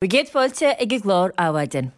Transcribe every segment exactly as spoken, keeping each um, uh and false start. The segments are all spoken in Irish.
Bhur gcéad fáilte ag an gclár Adhmhaidin.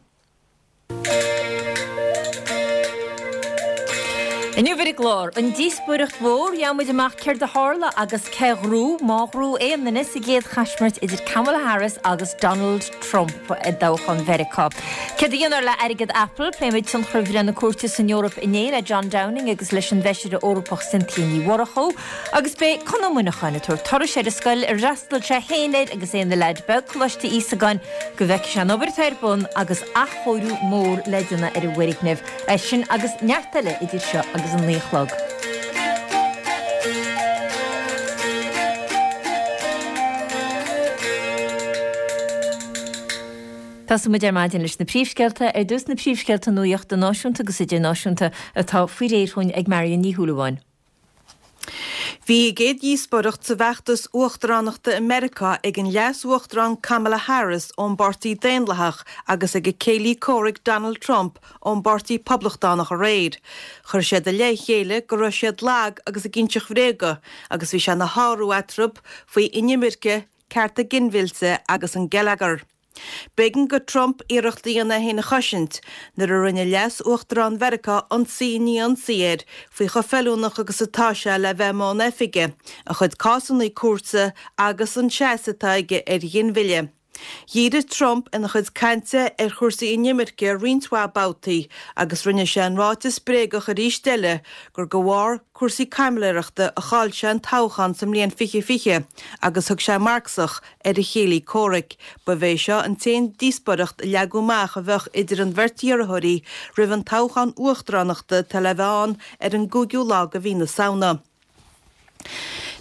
Inniu ar an gclár, an díospóireacht mhór, gheobhaidh muid amach céard a tharla agus cé ghnóthaigh, má ghnóthaigh aon duine, sa gcéad chaismirt idir Kamala Harris agus Donald Trump i dtoghchán Mheiriceá. Céard a dhéanfar le airgead Apple? Pléimid tionchar bhreith na cúirte san Eoraip inné le John Downing agus leis an bhFeisire Eorpach Cynthia Ní Mhurchú. Agus beidh Conn Ó Muineacháin ag tabhairt turais ar an scoil ar fhreastail sé féin air agus é ina leaid beag, Coláiste Íosagáin, go bhfeicfidh sé an obair atá ar bun agus athchóiriú mór le déanamh ar an bhfoirgneamh. É sin agus neart eile idir seo agus an naoi a chlog. Tosóidh muid ar maidin leis na príomhscéalta, ar dtús na príomhscéalta nuachta náisiúnta agus idirnáisiúnta atá faoi réir chugainn ag Marion Ní Shúilleabháin. Bhí a gcéad dhíospóireacht sa bhfeachtas uachtaránachta i Meiriceá ag an Leas-Uachtarán Kamala Harris ón bPáirtí Daonlathach agus ag a céile comhraic Donald Trump ón bPáirtí Poblachtánach aréir. Chuir siad i leith a chéile go raibh siad lag agus ag inseacht bhréaga agus bhí sé ina shárú eatarthu faoi inimirce, cearta ginmhillte agus an geilleagar. B'éigean do Trump iarracht a dhéanamh é féin a chosaint nuair a rinne Leas-Uachtarán Mheiriceá ionsaí i ndiaidh ionsaí air faoi chomh feiliúnach agus atá sé le bheith i mbun oifige, a chuid cásanna cúirte agus an seasamh atá aige ar ghinmhilleadh. Dhírigh Trump ina chuid cainte ar chúrsaí inimirce roinnt mhaith babhtaí agus rinne sé an ráiteas bréagach arís eile gur de bharr cúrsaí caimiléireachta a chaill sé an toghchán sa mbliain fiche fiche agus thug sé Marxach ar a chéile comhraic. Ba é seo an t-aon díospóireacht a leagadh amach a bheadh idir an bheirt iarrthóirí roimh an toghchán uachtaránachta atá le bheith ann ar an gcúigiú lá de mhí na Samhna.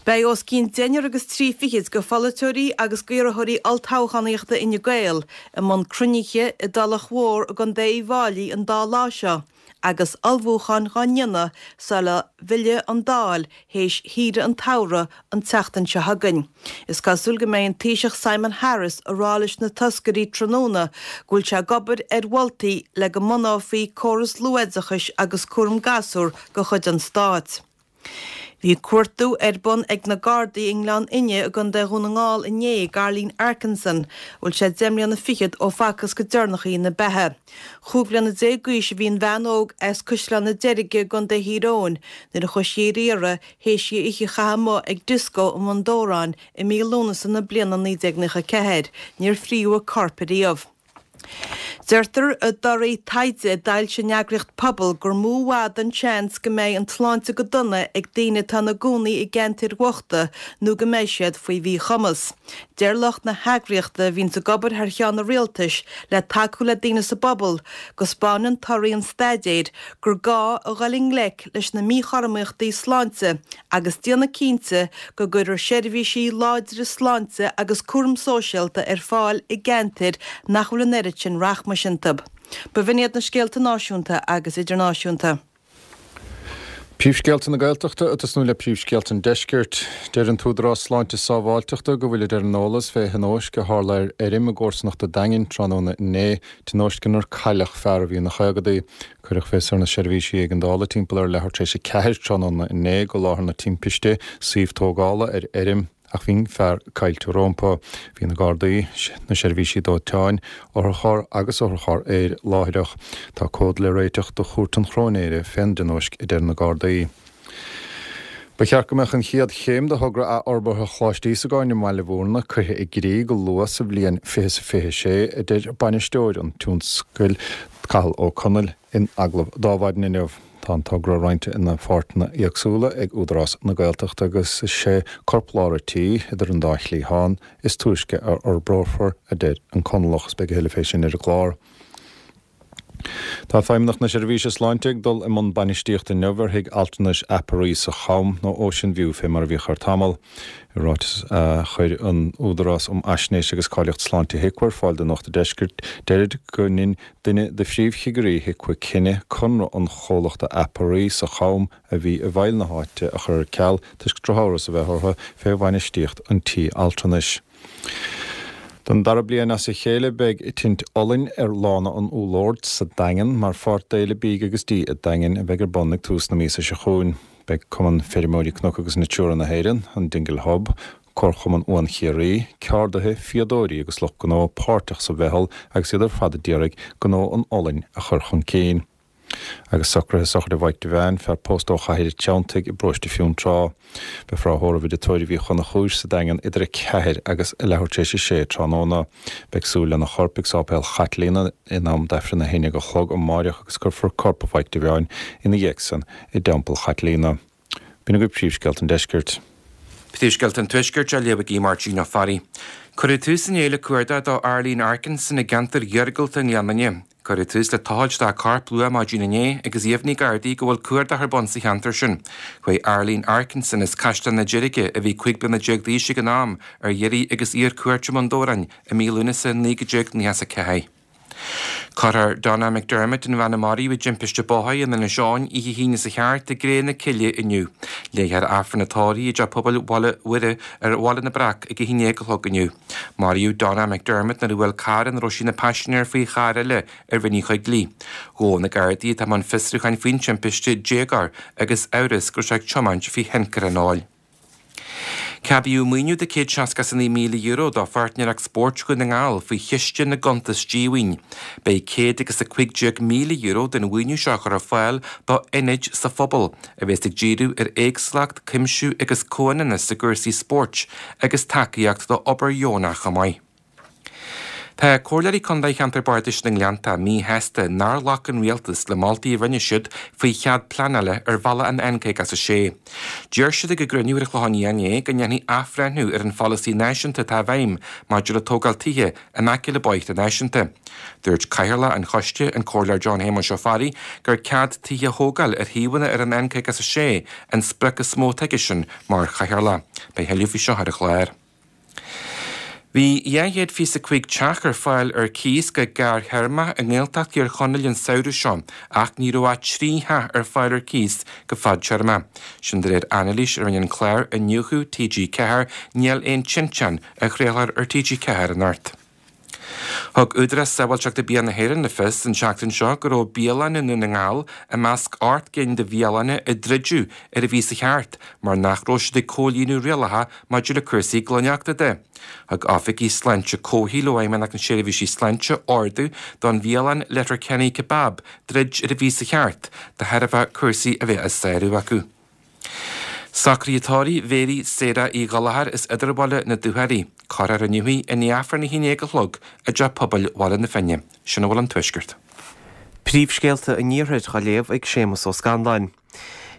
Beidh os cionn deichniúr agus trí fichid de pholaiteoirí agus d'iarrthóirí olltoghchánaíochta Fhine Gael i mbun cruinnithe i dTulach Mhór i gContae Uíbh Fháilí an dá lá seo agus ullmhúcháin dhá ndéanamh sula bhfillfidh an Dáil théis shaoire an tsamhraidh an tseachtain seo chugainn. Is cosúil go mbeidh an Taoiseach Simon Harris ag rá leis na toscairí tráthnóna go bhfuil sé ag obair ar mholtaí le go mbunófaí córas luathoideachais agus cúram gasúr de chuid an stáit. Bhí cuartú ar bun ag na Gardaí i nGleann Fhinne i gContae Dhún na nGall inné d'Arlene Arkinson, a bhfuil sé deich mbliana fichead ó facthas go deireanach í ina beatha. Chúig bliana déag d'aois a bhí an bhean óg as Caisleán na Deirge i gContae Thír Eoghain nuair a chuaigh sí ar iarraidh théis di oíche a chaitheamh amuigh ag dioscó i mBun Dobhráin i mí Lúnasa na bliana naoi déag nócha ceathair. Níor fríodh a corp ariamh. Deirtear i dtorthaí taighde a d'fhoilsigh an eagraíocht Pobal gur mó i bhfad an seans go mbeidh an tsláinte go dona ag daoine atá ina gcónaí i gceantair bhochta nó go mbeidh siad faoi mhíchumas. Deir lucht na heagraíochta, a bhíonns ag obair thar cheann an rialtais le tacú le daoine sa bpobal, go 'spáineann torthaí an staidéir gur gá a dhul i ngleic leis na míchothromaíochtaí sláinte agus déanamh cinnte go gcuirfear seirbhísí láidre sláinte agus cúram sóisialta ar fáil i gceantair nach bhfuil an oiread sin rachmais iontu. B'in iad na scéalta náisiúnta agus idirnáisiúnta. Príomhscéalta na Gaeltachta ag tosnú le príomhscéalta an Deiscirt. Deir an tÚdarás Sláinte is Sábháilteachta go bhfuilid ar an eolas fé thionóisc a tharla ar fheirm i gcomharsanacht an Daingin tráthnóna inné, tionóisc inar cailleadh fear a bhí ina chaogadaí. Cuireadh fios ar na seirbhísí éigeandála timpeall ar leathuair tar éis a ceathair tráthnóna inné go láthair na timpiste, suíomh tógála ar fheirm, ach bhí an fear caillte rómpa. Bhí na Gardaí, na seirbhísí dóiteáin, otharcharr agus otharcharr aeir láithreach. Tá comhad le réiteach do Chúirt an Chróinéara fén dtionóisc, a deir na Gardaí. Ba cheart go mbeadh an chéad chéim de thogra athfhorbartha Choláiste Íosagáin i mBaile Bhúirne curtha i gcrích go luath sa bhliain fiche is a fiche sé, a deir bainisteoir an tionscadail, Cathal Ó Conaill, in agallamh d'Adhmhaidin inniu. Tá an togra roinnte ina pháirteanna éagsúla ag Údarás na Gaeltachta agus is é corplár an tí, idir an dá chliathán, is túisce a fhorbrófar, a deir an Conallach. Is beidh a thuilleadh fé sin ar an gclár. Tá Feidhmeannacht na Seirbhíse Sláinte ag dul i mbun bainistíochta inniu ar thigh altranais Aperee sa Cham, nó Ocean View fé mar a bhíodh air tamall. I ráiteas a chuir an Údarás um Fhaisnéis agus Cáilíocht Sláinte HIQA ar fáil do Nuacht an Deiscirt, deirid go ndein duine de phríomhchigirí HIQA cinneadh conradh an chomhlachta Aperee sa Cham a bhí i bhfeighil na háite a chur ar ceal toisc drochamhras a bheith orthu fé bhainistíocht an tí altranais. Don dara bliain as a chéile beidh tint olainn ar Lána an Úlloird sa Daingean mar pháirt d'Fhéile Bídh agus Dí an Daingin a bheidh ar bun ag tús na míosa seo chugainn. Beidh Cumann Feirmeoirí Cnoc agus Natura na hÉireann, an Dingle Hub, Comharchumann Uan Chiarraí, ceardaithe, fíodóirí agus lucht gnó páirteach sa mheitheal agus iad ar fad a d'iarraidh gnó an olainn a chur chun cinn. Agus socruithe sochraide Mhaidhc Devane, fear pósta ó Chathair an Treanntaigh i bparóiste Fionntrá. Beifear á thórramh i dtigh tórraimh Uí Chonchúir sa Daingean idir a ceathair agus a leathuair tar éis a sé tráthnóna. Beidh súil lena chorp ag Sáipéal Chaitlíona in am d'Aifreann a haon déag a chlog amáireach agus cuirfear corp Mhaidhc Devane ina dhiaidh san i dTeampall Chaitlíona. B'in agaibh príomhscéalta an deiscirt. Príomhscéalta an Tuaiscirt á léamh ag Máirtín Ó Fearraigh. Cuireadh tús inné le cuardach do Arlene Arkinson i gceantar iargúlta i nGleann Fhinne. Cuireadh tús le tochailt dá corp luath maidin inné agus dheimhnigh Gardaí go bhfuil cuardach ar bun sa cheantar sin. Chuaigh Arlene Arkinson as Caisleán na Deirge, a bhí cúig bliana déag d'aois ag an am, ar iarraidh agus í ar cuairt i mBun Dobhráin i mí Lúnasa naoi déag nócha a ceathair. Cuirfear Donna McDermott, an bhean a maraíodh i dtimpiste bóthair in Inis Eoghain oíche hAoine sa cheart i gcré na cille inniu. Léifear Aifreann a tórraimh i dTeach Pobail Bhaile Mhuire ar Bhaile na Breac ag a haon déag a chlog inniu. Maraíodh Donna McDermott nuair a bhuail carr ina raibh sí ina paisinéir faoi charr eile ar Rinn Uí Choigligh. Ghabh na Gardaí atá i mbun fiosrúcháin faoin timpiste déagóir agus amhras go raibh sé ag tiomáint faoi thionchar an óil. Ceadaíodh maoiniú de céad seasca is a naoi míle euro do Pháirtnéireacht Spóirt Dhún na nGall faoi Chiste na gCuntas Díomhaoin. Beidh céad agus a cúig déag míle euro den mhaoiniú seo a chur ar fáil do ionaid sa phobal a bheas ag díriú ar éagsúlacht, cuimsiú agus comhionannas i gcúrsaí spóirt agus tacaíocht do obair dheonach chomh maith. Tá Comhairleoirí Contae Cheantar Bardais na nGleannta míshásta nár ghlac an rialtas le moltaí a rinne siad faoi chead pleanála ar bhealach an N caoga is a sé. Deir siad ag a gcruinniú ar an Chlochán Liath inné go ndéanfaí athbhreithniú ar an pholasaí náisiúnta atá i bhfeidhm maidir le tógáil tithe in aice le bóithre náisiúnta. Dúirt Cathaoirleach an Choiste, an Comhairleoir John Shéamuis Ó Fearraigh, gur cead tithe a thógáil ar shuíomhanna ar an N caoga is a sé an sprioc is mó atá aigesean mar chathaoirleach. Beidh tuilleadh faoi seo ar an chlár. Bhí dhá chéad fiche is a cúig teach ar fáil ar cíos go gearrthéarmach i nGaeltacht Thír Chonaill an samhradh seo, ach ní raibh ach trí theach ar fáil ar cíos go fadtéarma. Sin de réir anailís a rinne an clár Iniúchadh T G ceathair, Níl Aon Tinteán, a chraolfar ar T G ceathair anocht. Thug Údarás Sábháilteachta Bia na hÉireann le fios an tseachtain seo go raibh bialanna i nDún na nGall i measc ocht gcinn de bhialanna a druideadh ar an mhí seo thart mar nach raibh siad ag comhlíonadh rialacha maidir le cúrsaí glaineachta de. Thug oifigigh sláinte comhshaoil ó Fheidhmeannacht na Seirbhísí Sláinte ordú don bhialann Letterkenny Kebab druid ar an mhí seo thart de thairbhe cúrsaí a bheith á sárú acu. Socruithe tórraimh Mhéirí Sarah Uí Ghallchóir as Idirbhaile na Dúchoraidhe, Cuirfear inniu í i ndiaidh Aifreann a haon déag a chlog i dTeach Pobail Bhaile na Finne. Sin a bhfuil an Tuaisceart. Príomhscéalta an Iarthair á léamh ag Séamus Ó Scanláin.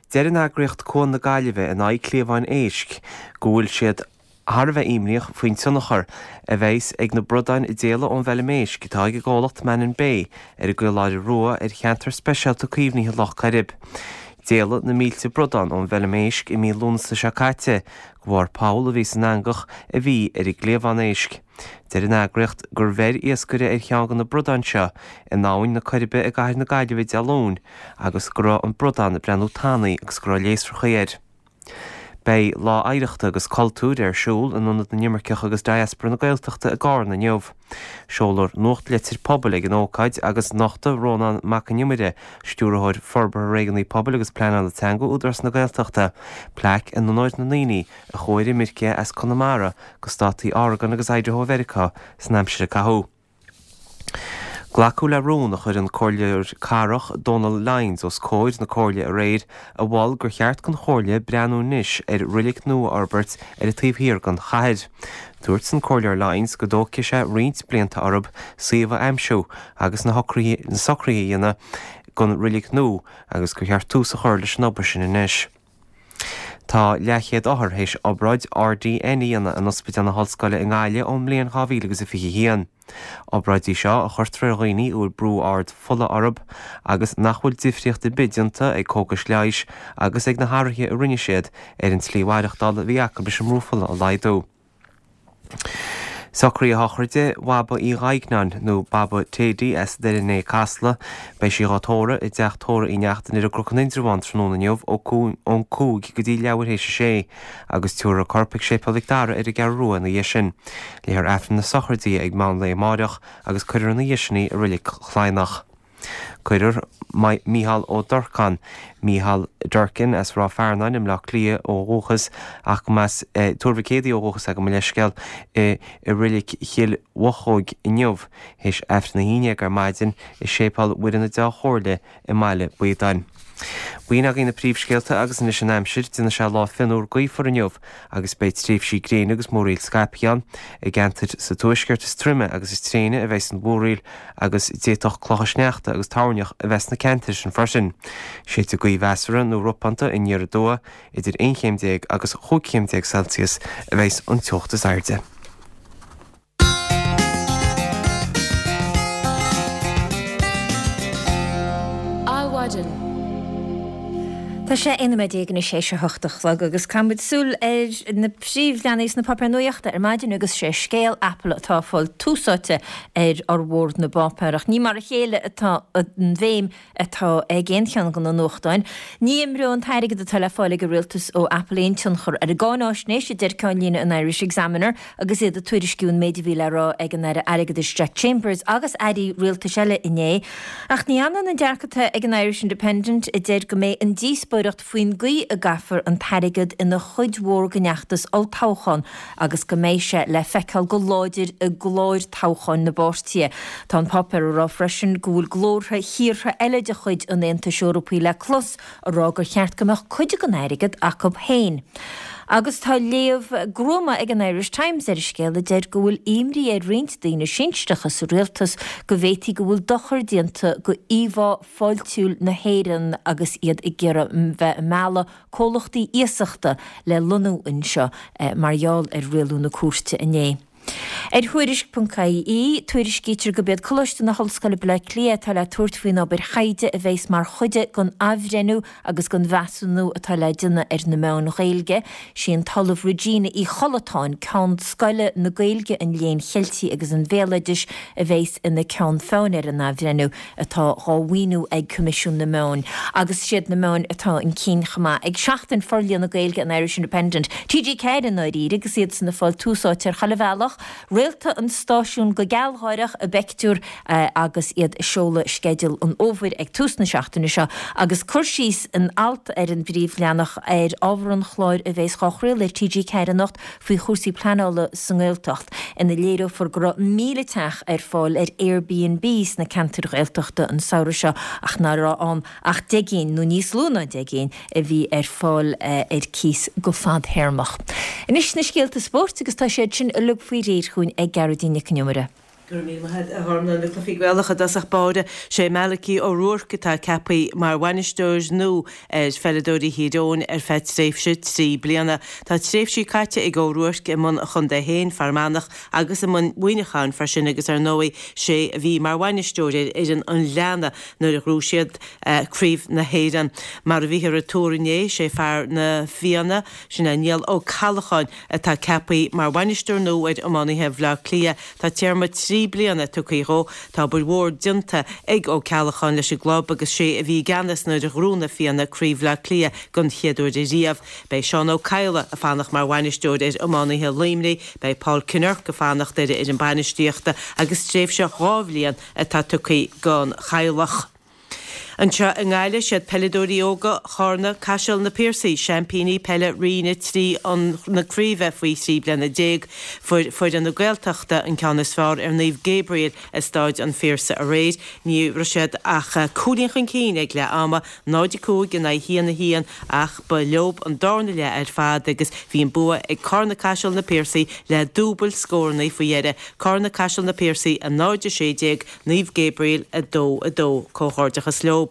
Deir an eagraíocht Cuan na Gaillimhe in aghaidh cliabháin éisc go bhfuil siad thar a bheith imníoch faoin tionchar a bheas ag na bradáin a d'éalaigh ón bhfeilm éisc atá ag an gcomhlacht Mannin Bay ar an gCaoláire Rua ar cheantar speisialta caomhnaithe Loch Coirib. D'éalaigh na mílte bradán ón bhfeilm éisc i mí Lúnasa seo caite, de bharr poll a bhí san eangach a bhí ar an gcliabhán éisc. Deir an eagraíocht gur bheir iascaire ar cheann de na bradáin seo in abhainn na Coiribe i gcathair na Gaillimhe Dé Luain agus go raibh an bradán ag breathnú tanaí agus go raibh léasrachaí air. Beidh lá oidhreachta agus cultúir ar siúl in Ionad na nImirceach agus Diaspora na Gaeltachta i gCarna inniu. Seolfar nuachtlitir pobail ag an ócáid agus nochtadh Rónán Mac an Iomaire, stiúrthóir forbartha réigiúnaí pobail agus pleanála teanga Údarás na Gaeltachta, plaic in onóir na ndaoine a chuaigh ar imirce as Conamara go státaí Oregon agus Idaho Mheiriceá san aimsir a caitheadh. Glacadh le rún a chuir an comhairleoir cathrach Donal Lyons os comhair na comhairle aréir a mhol gur cheart don chomhairle breathnú anois ar reilig nua a fhorbairt ar an taobh thiar den chathair. Dúirt an comhairleoir Lyons go dtógfaidh sé roinnt blianta orthu suíomh a aimsiú agus na socruithe na socruithe a dhéanamh don reilig nua agus gur cheart tús a chur leis an obair sin anois. Tá leathchéad othar théis obráid R D N a dhéanamh in Ospidéal na hOllscoile i nGaillimh ón mbliain dhá mhíle agus a fiche a haon. Obráidí seo a chuirtear ar dhaoine a bhfuil brú ard fola orthu agus nach bhfuil difríocht ar bith déanta ag cógais leighis agus ag na hathruithe a rinne siad ar an tslí mhaireachtála a bhí acu leis an mbrú fola a laghdú. Socruithe sochraide Bhaba Uí Ghaigneáin nó Baba Téidí as Doire Né Casla, beidh sí dhá tórramh i dteach tórraimh Uí Neachtain ar an gCnoc in Indreabhán tráthnóna inniu ó cú-, ón cúig go dtí leathuair théis a sé, agus tabharfar a corp ag Séipéal Mhic Dara ar an gCeathrú Rua ina dhiaidh sin. Léifear Aifreann na sochraide ag meán lae amárach agus cuirfear ina dhiaidh sin í i reilig Chladhnach. Cuirfear Micheál Ó Durcáin, Mícheál Durkin as Ráth Fearnáin i mBleá Cliath ó dhúchas ach as Tuar Mhic Éadaigh ó dhúchas gabh mo leithscéal i Reilig Chill Mhochóg inniu théis Aifreann a haon déag ar maidin i Séipéal Mhuire na Dea-Chomhairle i mBaile Baodáin. B'in againn na príomhscéalta agus anois an aimsir, déanfaidh sé lá fionnuar gaofar inniu agus beidh tréimhsí gréine agus múraíl scaipthe ann. I gceantair sa tuaisceart is troime agus is tréine a bheidh an mhúraíl agus d'fhéadfadh clocha sneachta agus toirneach a bheith sna ceantair sin freisin. Séidfidh gaoth mheasartha nó ropánta aniar aduaidh idir aon chéim déag agus chúig chéim déag Celsius a bheidh an teocht is airde. Adhmhaidin. Tá sé aon nóiméad déag anois théis a hocht a chlog agus caithfidh muid súil ar na príomhleathanaigh sna páipéir nuachta ar maidin agus sé scéal Apple atá ag fáil tús áite ar fhormhór na bpáipéar ach ní mar a chéile atá an bhéim atá ag aon cheann de na nuachtáin. Ní imreoidh an t-airgead atá le fáil ag an rialtas ó Apple aon tionchar ar an gcáináisnéis, a deir ceannlíne an Irish Examiner agus iad ag tuairisciú an méid a bhí le rá ag an Aire Airgeadais Jack Chambers agus airí rialtais eile inné. Ach ní hionann an dearcadh atá ag an Irish Independent a deir go mbeidh an díospóireacht faoin gcaoi a gcaithfear an t-airgead ina chuid mhór den fheachtas olltoghcháin agus go mbeidh sé le feiceáil go láidir i gcláir toghcháin na bpáirtithe. Tá an páipéar ag rá freisin go bhfuil glórtha thíortha eile de chuid an Aontais Eorpaigh le clos ag rá gur cheart go mbeadh cuid den airgead acu féin. Agus tá léamh gruama ag an Irish Times ar an scéal a deir go bhfuil imní ar roinnt daoine sinsearacha sa rialtas go bhféadfaí go bhfuil dochar déanta go íomhá fáiltiúil na hÉireann agus iad ag iarraidh bheith ag mealladh comhlachtaí iasachta le lonnú anseo mar gheall ar rialú na cúirte inné. Ar Thuairisc ponc IE, tuairiscítear gurb iad Coláiste na hOllscoile Baile Átha Cliath atá le tabhairt faoin obair thaighde a bheas mar chuid den athbhreithniú agus den mheasúnú atá le déanamh ar na meáin Ghaeilge. Sí an tOllamh Regina Uí Chollatáin, Ceann Scoile na Gaeilge, an Léinn Cheiltigh agus an Bhéaloidis, a bheas ina ceann feadhain ar an athbhreithniú atá dhá mhaoiniú ag Coimisiún na Meán. Agus siad na meáin atá chun cinn chomh maith ag Seachtain Forlíonadh Gaeilge an Irish Independent, T G ceathair i ndáiríre agus iadsan ag fáil tús áite ar chuile bhealach. Réalta an stáisiúin go gealgháireach i bpeictiúr agus iad ag seoladh sceideal an fhómhair ag tús na seachtaine seo agus cur síos in alt ar an bpríomhleathanach ar ábhar an chláir a bheas dhá chraoladh ar T G ceathair anocht faoi chúrsaí pleanála sa nGaeltacht ina léireofar go raibh míle teach ar fáil ar Airbnb sna ceantair Ghaeltachta an samhradh seo ach nach raibh ann ach deich gcinn nó níos lú ná deich gcinn a bhí ar fáil ar cíos go fadthéarmach. Anois na scéalta spóirt agus tá siad sin uilig faoi réir chugainn ag Gearóidín Nic an Iomaire. Go raibh míle maith agat, a Ghormfhlaith. Na cluichí Gaelacha i dtosach báire, sé Malachy O'Rourke atá ceaptha mar bhainisteoir nua ar pheileadóirí Thír Eoghain ar feadh tréimhse trí bliana. Tá tréimhsí caite ag O'Rourke i mbun a chontae féin, Fear Manach, agus i mbun Mhuineacháin freisin agus ar ndóigh sé a bhí mar bhainisteoir ar fhoireann an Ghleanna nuair a ghnóthaigh siad Craobh na hÉireann. Mar a bhíothar ag tuar inné, sé fear na Fianna, sin é Niall Ó Ceallacháin, atá ceaptha mar bhainisteoir nua ar iománaithe Bhaile Átha Cliath. Tá téarma trí bliana tugtha dhó. Tá obair mhór déanta ag Ó Ceallacháin leis an gclub agus sé a bhí i gceannas nuair a ghnóthaigh na Fianna Craobh Bhaile Átha Cliath den chéad uair ariamh. Beidh Seán Ó Cadhla ag fanacht mar bhainisteoir ar iománaithe Luimnigh, beidh Paul Kinnerk ag fanacht ar a fhoireann bainistíochta agus tréimhse dhá bhliain atá tugtha don Chadhlach. Anseo i nGaillimh, siad peileadóirí óga Charna Caiseal Na Piarsaigh seaimpíní peile Roinn a trí an na craoibhe faoi thrí bliana déag. Fuair foireann na Gaeltachta an ceann is fearr ar Naomh Gabriel i Stáid an Phiarsaigh aréir. Ní raibh siad ach cúilín chun cinn ag leath ama, náid a cúig in aghaidh haon a haon, ach ba leob an darna leath ar fad agus bhí an bua ag Carna Caiseal Na Piarsaigh le dúbailt scóranna faoi dheireadh. Carna Caiseal Na Piarsaigh a náid a sé déag, Naomh Gabriel a dó a dó. Comhghairdeachas leob.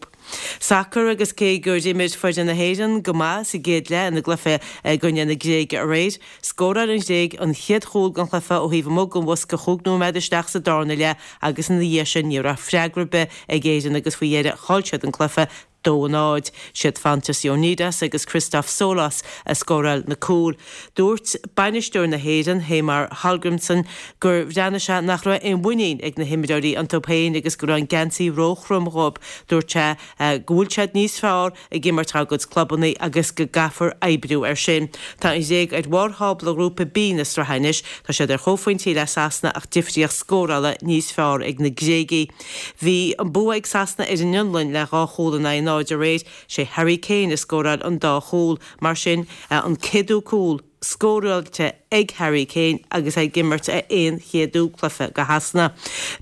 Sacar agus cé gur imir foireann na hÉireann go maith sa gcéad leath ina gcluiche i gcoinne na Gréige aréir, scóráil an Ghréig an chéad chúl den chluiche ó thaobh amuigh den bhosca chúig nóiméad isteach sa darna leath agus ina dhiaidh sin ní raibh freagra ar bith ag Éirinn agus faoi dheireadh chaill siad an cluiche dó a náid. Siad Fotis Ioannidis agus Christoph Solos a scóráil na cúil. Dúirt bainisteoir na hÉireann, Heimir Hallgrímsson, gur bhreathnaigh sé nach raibh aon mhuinín ag na himreoirí iontu féin agus go raibh an geansaí róthrom dhóibh. Dúirt sé go bhfuil siad níos fearr ag imirt dá gcuid clubanna agus go gcaithfear oibriú air sin. Tá an Ghréig ar bharr thábla Ghrúpa B na sraithe anois. Tá siad ar chomhphointí le Sasana ach difríocht scórála níos fearr ag na Gréagaigh. Bhí an bua ag Sasana ar an Fhionlainn le dhá chúl in aghaidh náid aréir. Sé Harry Kane a scóráil an dá chúl, mar sin an céadú cúl scóráilte ag Harry Kane agus é ag imirt a aon chéadú cluiche do Shasana.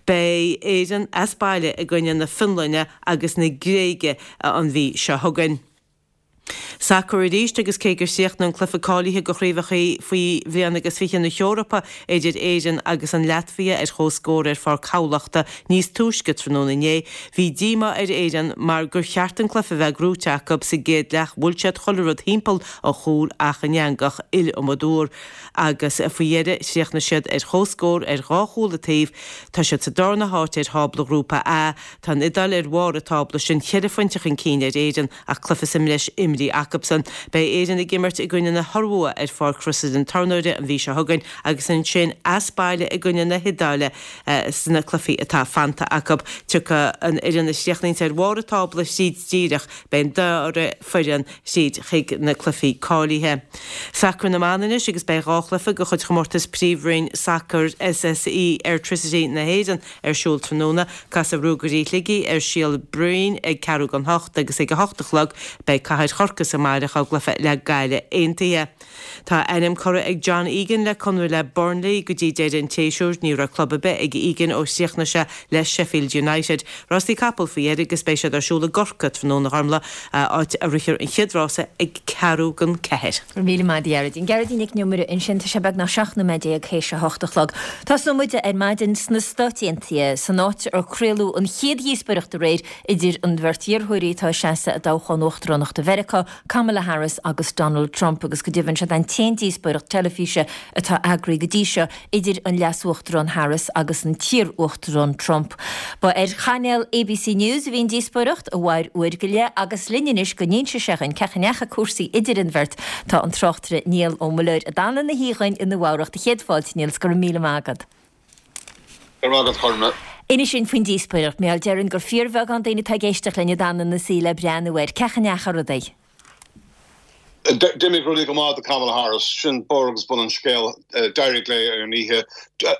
Beidh Éirinn as baile i gcoinne na Fionlainne agus na Gréige an mhí seo chugainn. Sacar arís agus cé gur chríochnaigh an cluiche cáilithe do chraobhacha faoi bhliain agus fiche na hEorpa idir Éirinn agus an Laitvia ar chomhscór ar Pháirc Thamhlachta níos túisce tráthnóna inné, bhí díomá ar Éirinn mar gur cheart an cluiche a bheith gnóite acu sa gcéad leath bhuail siad chuile rud thimpeall an chúil ach an eangach iliomad uair agus faoi dheireadh chríochnaigh siad ar chomhscór ar dhá chúl an taobh. Tá siad sa darna háit ar thábla Ghrúpa A. Tá an Iodáil ar bharr an tábla sin ceithre phointe chun cinn ar Éirinn ach cluiche sa mbreis imrithe acusan. Beidh Éirinn ag imirt i gcoinne na hIorua ar Pháirc Chrosaire an Tornóire an mhí seo chugainn agus ansin as baile i gcoinne na hIodáile sna cluichí atá fanta acu. Tiocfaidh an fhoireann a chríochnaíonns ar bharr an tábla tríd díreach, beidh an dara foireann tríd chuig na cluichí cáilithe. Sacar na mban anois agus beidh dhá chluiche de chuid chomórtas Príomhroinn Sacair SSE Airtricity na hÉireann ar siúl tráthnóna. Casfaidh Ruagairí Shligigh ar Síol Bhroin ag ceathrú don hocht agus ag a hocht a chlog beidh Cathair Chorcaí sa mbaile á gcluiche le Gaillimh Aontaithe. Tá a ainm curtha ag John Egan le conradh le Burnley go dtí deireadh an tséasúir. Ní raibh club ar bith ag Egan ó chríochnaigh sé le Sheffield United. Rásaí capall faoi dheireadh agus beidh siad ar siúl i gCorcaigh tráthnóna a Ghormfhlaith, áit a rithfear an chéad rása ag ceathrú don ceathair. Go raibh míle maith agat a Ghearóidín. Gearóidín Nic an Iomaire ansin, tá sé beagnach seacht nóiméad déag théis a hocht a chlog. Tosnóidh muid ar maidin sna Stáit Aontaithe, san áit ar craoladh an chéad dhíospóireacht aréir idir an bheirt iarrthóirí atá ag seasamh i dtoghchán uachtaránachta Mheiriceá, Kamala Harris agus Donald Trump, agus go deimhin siod an t-aon díospóireacht teilifíse atá eagraithe go dtí seo idir an Leas-Uachtarán Harris agus an t-iar-Uachtarán Trump. Ba ar chainéal ABC News a bhí an díospóireacht, a mhair uair go leith, agus linn anois go n-inse sé dhuinn cén chaoi a ndeachaigh cúrsaí idir an bheirt tá an tráchtaire Niall Ó Muilleoir a d'fhan ina shuí dhúinn i Nua-Eabhrac. Do chéad fáilte, Niall, 's go raibh míle maith agat. Go raibh maith agat, Chormac. Inis dúinn faoin díospóireacht, mar déarfainn gur fíorbheagán daoine atá ag éisteacht linn a d'fhan ina suí le breathnú air. Cén chaoi a ndeachaigh rudaí? D'imigh rudaí go maith do Kamala Harris, sin barr agus bun an scéil, d'éirigh léi ar an oíche.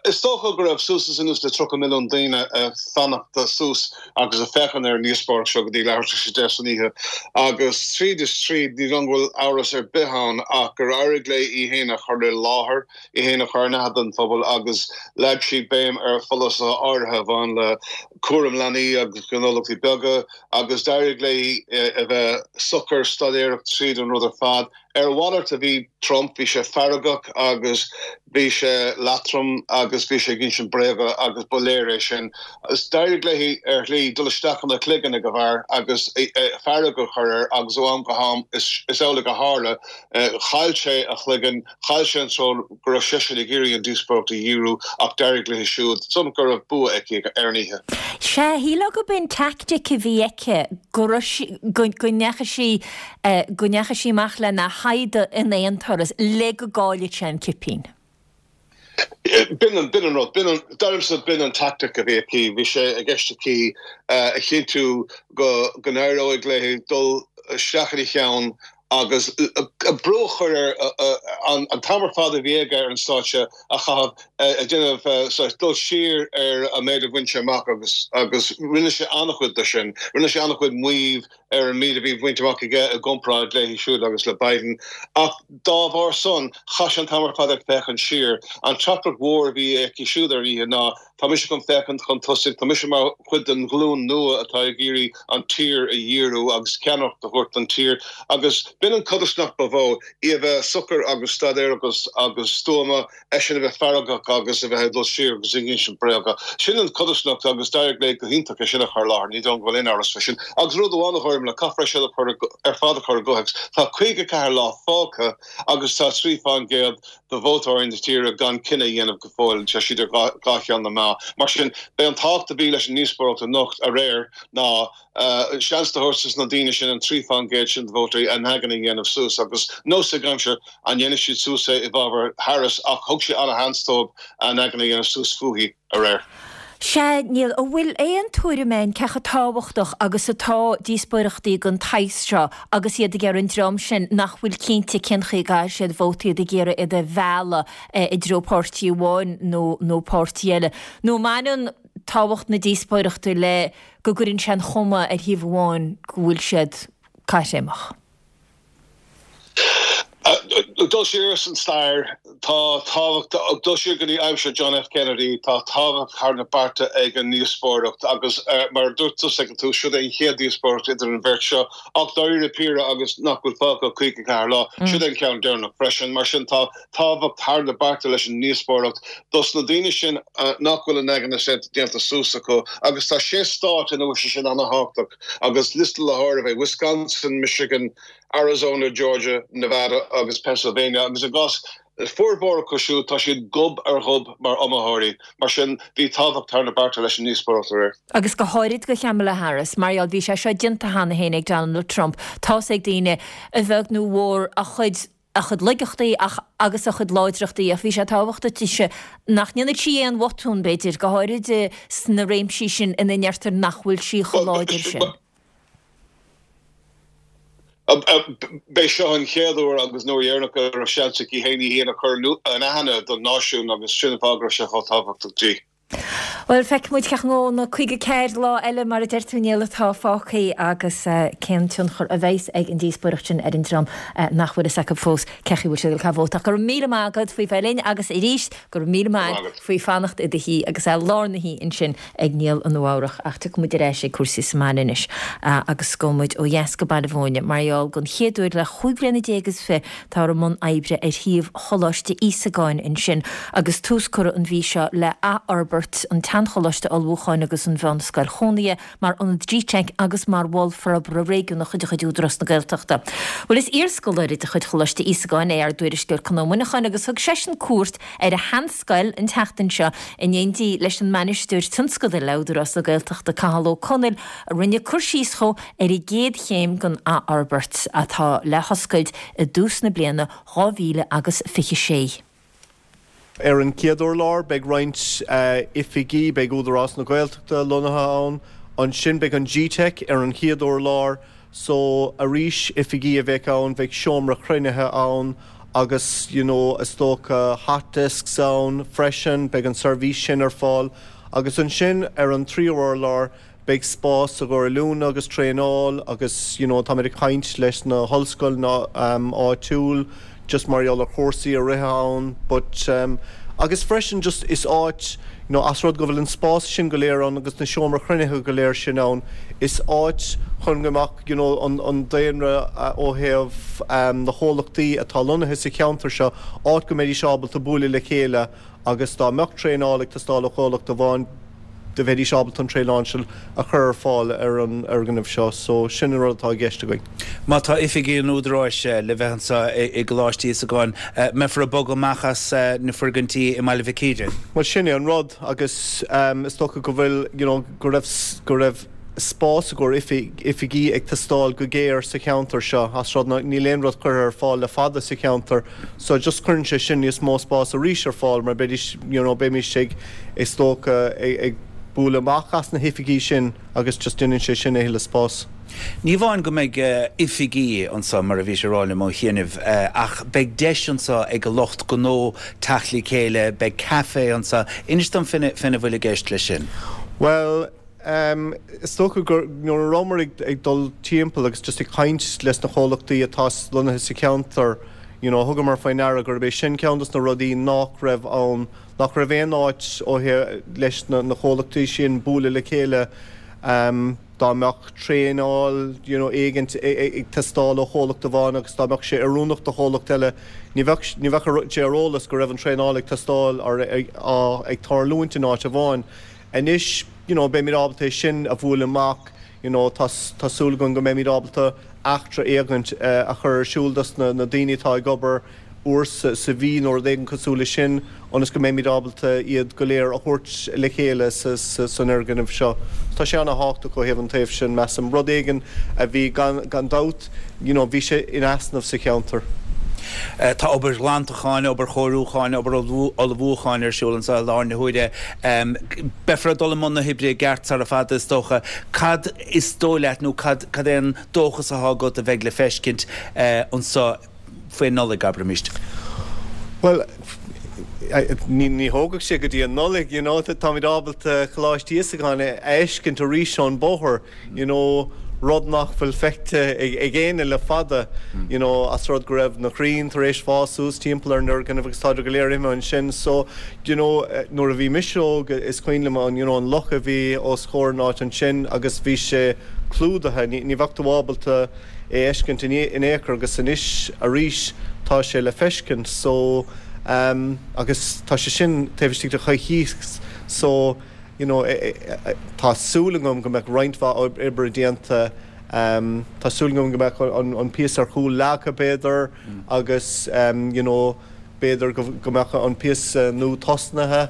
Is dócha go raibh suas is anuas le tríocha milliún daoine ag fanacht suas agus ag féachaint ar an ndíospóireacht seo go dtí leathuair tar éis a deich san oíche agus tríd is tríd ní dóigh go bhfuil amhras ar bith ann ach gur éirigh léi í féin a chur i láthair, í féin a chur in aithne don phobal agus leag sí béim ar pholasaithe áirithe a bhain le cúram leanaí agus gnólachtaí beaga agus d'éirigh léi a bheith socair staidéarach tríd an rud ar fad. Ar a mhalairt a bhí Trump, bhí sé feargach agus bhí sé leatrom agus bhí sé ag insint bréaga agus ba léir é sin. D'éirigh léi ar shlí dul isteach ina chloigeann ag an bhfear agus fearg a chur air agus ó am go ham is amhlaidh a tharla, chaill sé a chloigeann, chaill sé an treo go raibh seisean ag iarraidh an díospóireacht a dhíriú ach d'éirigh léi siúd, is go raibh bua aici ar an oíche. Sea, shílfeá gurb in teaictic a bhí aici, go raibh sí, go ndeachaigh sí, go ndeachaigh sí amach lena shaighdeadh in aon turas le go gcaillfeadh sé an cipín. B'in an, b'in an rud, b'in an, dar liomsa b'in an tactic a bhí aici, bhí sé i gceist aici a chinntiú go, go n-éireoidh léi dul isteach ina cheann agus brú a chur air an t-am ar fad a bhí aige ar an stáitse a chaitheamh ag déanamh dul siar ar an méid a bhain sé amach agus agus rinne sé an-chuid de sin. Rinne sé an-chuid maímh ar an méid a bhí bainte amach aige i gcomparáid léi siúd agus le Biden. Ach dá bharr san, chaith sé an t-am ar fad ag féachaint siar. An teachtaireacht mhór a bhí aici siúd ar an oíche ná, Tá mise chun féachaint chun tosaigh, tá mise mar chuid den ghlúin nua atá ag iarraidh an tír a dhíriú agus ceannaireacht a thabhairt don tír. Agus b'in an codarsnacht ba mhó, í a bheith socair agus staidéarach agus agus stuama, eisean a bheith feargach agus a bheith ag dul siar agus ag insint bréaga. Sin an codarsnacht agus d'éirigh léi go hiontach é sin a chur i láthair, ní dóigh liom go bhfuil aon amhras fé sin. Agus rud amháin a Ghormfhlaith, caithfear é sin a chur ar fad a chur i gcomhthéacs, tá caoga ceathair lá fágtha agus tá trí fán gcéad de vótóirí na tíre gan cinneadh a dhéanamh go fóill, tá siad ar dhá cheann na meá. Mar sin, b'é an tábhacht a bhí leis an ndíospóireacht anocht, aréir, ná seans a thabhairt dos na daoine sin, an trí fán gcéad sin de vótóirí, a n-aigne a dhéanamh suas. Agus nós ag aimsir an ndéanfaidh siad suas é i bhfabhar Harris ach thug sé ana-sheans dóibh a n-aigne a dhéanamh suas fúithi aréir. Sea, Niall, an bhfuil aon tuairim a'inn cé chomh tábhachtach agus atá díospóireachtaí den tsaghas seo agus iad ag iarraidh an dream sin nach bhfuil cinnte cén chaoi a gcaithfidh siad vóta, iad ag iarraidh iad a mhealladh i dtreo páirtí amháin nó nó páirtí eile? Nó an mbaineann tábhacht na díospóireachta le go gcuireann sé an chuma ar thaobh amháin go bhfuil siad caithréimeach? Dul siar san stair, tá tábhacht, dul siar go dtí aimsir John F. Kennedy, tá tábhacht thar na bearta ag an ndíospóireacht agus mar a dúirt tusa ag an tús, siod é an chéad díospóireacht idir an bheirt seo ach dáiríre píre agus nach bhfuil fágtha ach caoga ceathair lá, siod é an ceann deireanach freisin. Mar sin tá tábhacht thar na bearta leis an ndíospóireacht dos na daoine sin nach bhfuil a n-aigne déanta suas acu agus tá sé stát ina bhfuil sé sin ana-thábhachtach agus liosta le háireamh é Wisconsin, Michigan, Arizona, Georgia, Nevada agus Pennsylvania agus i gcás formhór acu siúd tá siad gob ar ghob mar iomaitheoirí. Mar sin bhí tábhacht thar na bearta leis an ndíospóireacht aréir. Agus go háirid do Kamala Harris, mar gheall bhí sé seo déanta cheana féin ag Donald Trump. Tá's ag daoine, a bheag nó a mhór, a chuid a chuid laigeachtaí ach agus a chuid láidreachtaí ach bhí sé tábhachtach dise nach ndéanfadh sí aon bhotún b'fhéidir, go háirid sna réimsí sin ina ndeirtear nach bhfuil sí chomh láidir sin. B'é seo an chéad uair agus an uair dheireanach go raibh seans aici féin í féin a chur in aithne don náisiún agus sin an fáth go raibh sé chomh tábhachtach di. Bhuel, feicfidh muid cén chaoi a ngabhfaidh na caoga ceathair lá eile, mar a deir tú, Niall, atá fágtha agus cén tionchar a bheas ag an díospóireacht sin ar an dream nach bhfuil fhios acu fós cé chaoi a bhfuil siad ag caitheamh vóta. Ach go raibh míle maith agat faoi bheith linn agus arís, go raibh míle maith agat faoi fanacht i do shuí agus é lár na hoíche ansin ag Niall i Nua Eabhrach. Ach tiocfaidh muid ar ais ag cúrsaí sa mbaile anois agus gabhfaidh muid ó dheas go Baile Mhúirne mar gheall don chéad uair le chúig bliana déag is fiche táthar i mbun oibre ar shuíomh Choláiste Íosagáin ansin agus tús curtha an mhí seo le athfhorbairt an tseancholáiste ullmhúcháin agus an mheánscoil chónaithe mar ionad G-Teic agus mar mhol forbartha réigiúnach de chuid Údarás na Gaeltachta. Bhuel is iarscoláire de chuid Choláiste Íosagáin é ár dtuairisceoir Conn Ó Muineacháin agus thug seisean cuairt ar a sheanscoil an tseachtain seo in éindí leis an mbainisteoir tionscadail le Údarás na Gaeltachta Cathal Ó Conaill a rinne cur síos dhó ar an gcéad chéim den athfhorbairt atá le hoscailt i dtús na bliana dhá mhíle agus fiche sé. Ar an chéad urlár beidh roinnt oifigí, beidh Údarás na Gaeltachta lonnaithe ann, ansin beidh an G-Teic ar an chéad urlár so arís oifigí a bheidh ann, bheidh seomra cruinnithe ann agus you know is dócha hot desks ann freisin, beidh an seirbhís sin ar fáil agus ansin ar an tríú urlár beidh spás i gcomhair oiliúna agus traenáil agus you know táimid ag caint leis na hollscoileanna áitiúil just mar gheall ar chúrsaí a rith ann but um agus freisin just is áit you know as rud go bhfuil an spás sin go léir ann agus na seomra chruinnithe go léir sin ann is áit chun go mbeadh you know an an daonra ó thaobh um na chomhlachtaí atá lonnaithe sa cheantar seo áit go mbeidís ábalta bualadh le chéile agus dá mbeadh traenáil ag teastáil ó chomhlacht amháin do bheidís ábalta an traenáil sin a chur ar fáil ar an fhoirgneamh seo. So, sin an rud atá i gceist againn. Má tá oifigí an Údaráis le bheith anseo i gColáiste Íosagáin, mbeifear ag bogadh amach as na foirgintí i mBaile Mhic Íre? Bhuel, sin é an rud agus is dócha go bhfuil, you know, go raibh, go raibh spás i gcomhair oifigí ag teastáil go géar sa cheantar seo as rud ná níl aon rud curtha ar fáil le fada sa cheantar so just cuireann sé sin níos mó spás arís ar fáil mar beidís you know beimis ag is dócha ag bualadh amach as na hoifigí sin agus just déanann sé sin a thuilleadh spás. Ní amháin go mbeidh oifigí anseo, mar a bhís ag rá liom ó chianaibh, ach beidh deis anseo ag an lucht gnó teacht le chéile, beidh caife anseo. Inis dom faoina bhfuil i gceist leis sin. Bhuel, is dócha gur nuair a rabhamar ag dul timpeall agus just ag caint leis na comhlachtaí atá lonnaithe sa cheantar, you know, thugamar faoi ndeara gurb é sin ceann dos na rudaí nach raibh ann, nach raibh aon áit ó thaobh leis na na comhlachtaí sin bualadh le chéile dá mbeadh traenáil you know éigint ag teastáil ó chomhlacht amháin agus dá mbeadh sé oiriúnach do chomhlacht eile, ní bheadh ní bheadh sé ar eolas go raibh an traenáil ag teastáil or ag tarlúint in áit amháin. Anois, you know, beimid ábalta é sin a bhualadh amach, you know, tá tá súil againn go mbeimid ábalta eachtra éigint a chur ar siúl dos na na daoine atá ag obair uair sa sa mhí nó rud éigin cosúil leis sin ionas go mbeimid ábalta iad go léir a thabhairt le chéile sa sa san fhoirgneamh seo. Tá sé ana-thábhachtach ó thaobh an taobh sin, measaim. Rud éigin a bhí gan gan dabht, you know, bhí sé in easnamh sa cheantar. Tá obair ghlantacháin, obair chóiriúcháin, obair ullmhúcháin ar siúl anseo i láthair na huaire. Beifear ag dul i mbun na hoibre i gceart sara fada, is dócha. Cad is dóigh leat nó cad é an dóchas atá agat a bheidh le feiscint anseo faoin Nollaig, abraimis? Bhuel, Ní ní thógfaidh sé go dtí an Nollaig, you know, táimid ábalta Coláiste Íosagáin a fheiscint arís ón bóthar, you know, rud nach bhfuil feicthe ag ag éinne le fada, you know, as rud go raibh na crainn tar éis fás suas timpeall ar an fhoirgneamh agus táid go léir imithe ansin. So, you know, nuair a bhí mise óg is cuimhin liom an, you know, an loch a bhí os comhair an áit ansin agus bhí sé clúdaithe, ní ní bheadh tú ábalta é fheiscint in in aon chor agus anois arís tá sé le feiscint. So, um, agus tá sé sin taobh istigh de choicís so you know, e, e, e, tá súil agam go mbeidh roinnt mhaith oibre déanta um, tá súil agam go mbeidh an, an píosa ar chúl leagtha b'fhéidir mm. agus um, you know, b'fhéidir go, go mbeadh an píosa nua tosnaithe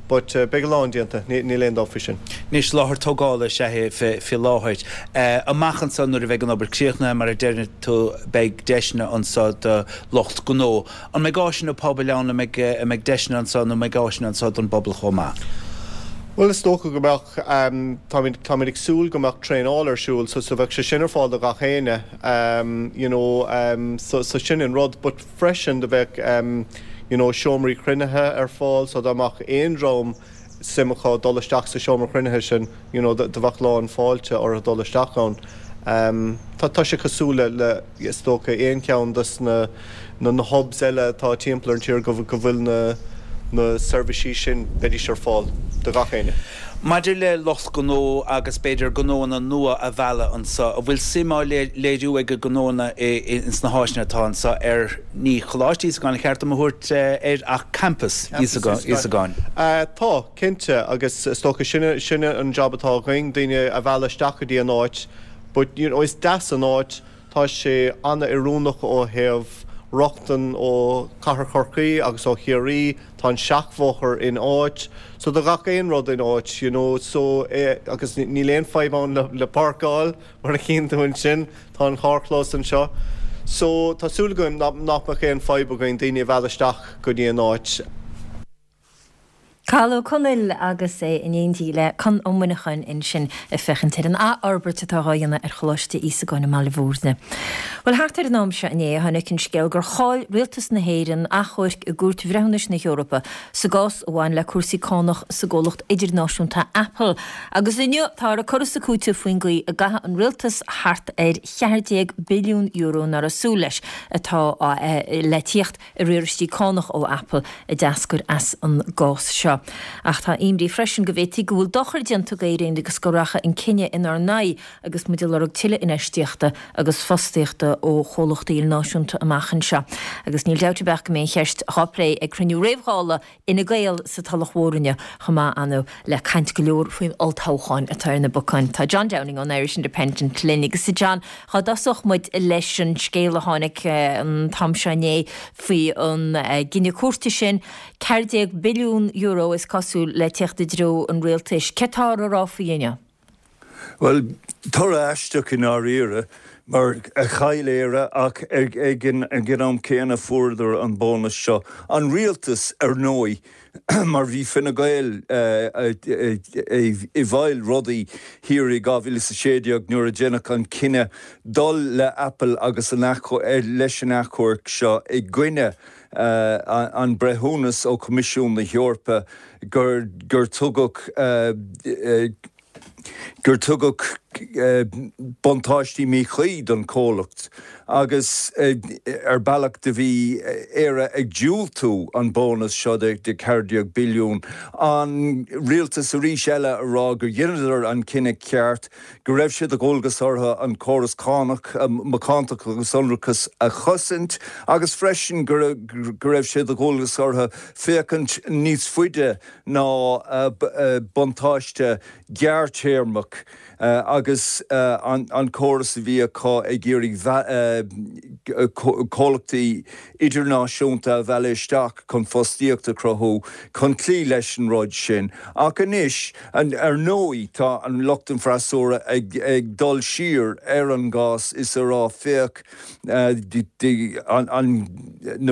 but uh, beidh a lán déanta níl aon dabht faoi sin. Anois láthair tógála is ea é fé láthair. Uh, amach anseo nuair a bheidh an obair críochnaithe mar a deir tú beidh deiseanna anseo do lucht gnó. An mbeidh áiseanna pobail ann an mbeidh deiseanna anseo nó mbeidh áiseanna anseo don bpobal chomh maith. Well is dócha go mbeadh um, táimid ag súil go mbeadh traenáil ar siúl so so bheadh sé sin ar fáil do gach éinne um, you know, um, so, so sin an rud, but freisin do bheadh um, you know, seomraí cruinnithe ar fáil so dá mbeadh aon dream suim acu dul isteach sa seomra cruinnithe sin you know, do bheadh lán fáilte orthu dul isteach ann. Um, tá tá sé cosúil le, le is dócha aon cheann des na, na, na hubs eile atá timpeall ar an tír go, go bhfuil na, na seirbhísí sin beidís ar fáil do gach éinne. Maidir le lucht gnó agus b'fhéidir gnóanna nua a mhealladh anseo, an bhfuil suim á léiriú ag gnóanna ins na háiseanna atá anseo ar ní Choláiste Íosagáin cheart a thabhairt air ach campus Íosagáin. Tá cinnte agus is dócha sin sin an job atá againn daoine a mhealladh isteach go dtí an áit, but you know, is deas an áit tá sé an-oiriúnach ó thaobh rochtain ó Chathair Chorcaí agus ó Chiarraí, tá an seachbhóthar in áit, so do gach aon rud in áit, you know, so eh, agus níl aon fadhb ann le, le páirceáil mar a chíonn tú ansin, tá an carrchlós anseo. So tá súil agam nach mbeadh aon fadhb againn daoine a mhealladh isteach go dtí an áit. Cathal Ó Conaill agus é in éindí le Con Ó Muineacháin ansin ag féachaint ar an athfhorbairt atá á dhéanamh ar Choláiste Íosagáin i mBaile Bhúirne. Well thart ar an am seo inné tháinig an scéal gur chaill rialtas na hÉireann achomharc i gCúirt Bhreithiúnais na hEorpa sa gcás a bhain le cúrsaí cánach sa gcomhlacht idirnáisiúnta Apple. Agus inniu tá ar cur is cúiteamh faoin gcaoi a gcaithfidh an rialtas thart ar cheathair déag billiún euro nach raibh súil leis atá le tíocht i riaráistí cánach ó Apple a d'eascair as an gcás seo. Ach tá imní freisin go bhféadfaí go bhfuil dochar déanta d'Éirinn agus go rachaidh an cinneadh inár n-aghaidh agus muid ag lorg tuilleadh infheistíochta agus fostaíochta ó chomhlachtaí ilnáisiúnta amach anseo. Agus níl dabht ar bith go mbeidh an cheist á plé ag cruinniú réamh-Dhála Fhine Gael sa Tulach Mhór inniu chomh maith ann le caint go leor faoin olltoghchán atá ar na bacáin. Tá John Downing ón Irish Independent linn agus a John dá dtosódh muid leis an scéal a tháinig an t-am seo inné faoi an gcinneadh cúirte sin ceathair déag billiún euro is cosúil le teacht i dtreo an rialtais. Cé tá á rá faoi inniu? Well, toradh aisteach i ndáiríre mar a chaill Éire ach ag ag an am céanna fuaireadar an bónas seo. An rialtas ar ndóigh mar bhí Fine Gael i bhfeighil rudaí thiar i dhá mhíle is a sé déag nuair a deineadh an cinneadh dul le Apple agus an leis an achomharc seo i gcoinne an breithiúnas ó Choimisiún na hEorpa gur gur tugadh gur tugadh buntáistí míchuí don chomhlacht agus ar bealach do bhí Éire ag diúltú an bónas seo de ceathair déag billiún. An rialtas arís eile a rá gur dheineadar an cinneadh ceart, go raibh sé de dhualgas orthu an córas cánach, macántacht agus ionracas a chosaint agus freisin go raibh sé de dhualgas orthu féachaint níos faide ná buntáiste gearrthéarmach agus an córas a bhí acu ag iarraidh comhlachtaí idirnáisiúnta a mhealladh isteach chun fostaíocht a chruthú chun cloí leis an rud sin. Ach anois, ar ndóigh, tá an lucht an freasúra ag dul siar ar an gcás is a rá féach na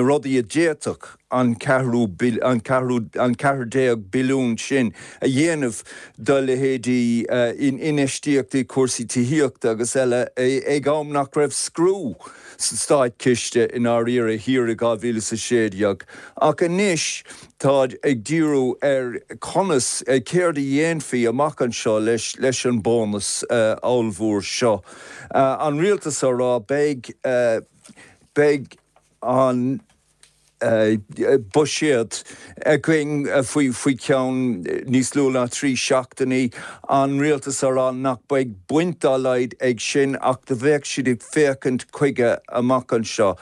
rudaí a d'fhéadfadh an ceathrú an ceathrú an ceathair déag billiún sin a dhéanamh do leithéidí infheistíochtaí cúrsaí tithíochta agus eile ag am nach raibh scriú sa státchiste i ndáiríre thiar i dhá mhíle is a sé déag. Ach anois táid ag díriú ar conas, céard a dhéanfaí amach anseo leis leis an bónas ollmhór seo. An rialtas á rá beidh beidh an buiséad againn faoi faoi cheann níos lú ná trí seachtainí, an rialtas á rá nach mbeidh baint dá laghad ag sin ach do bheadh siad ag féachaint chuige amach anseo.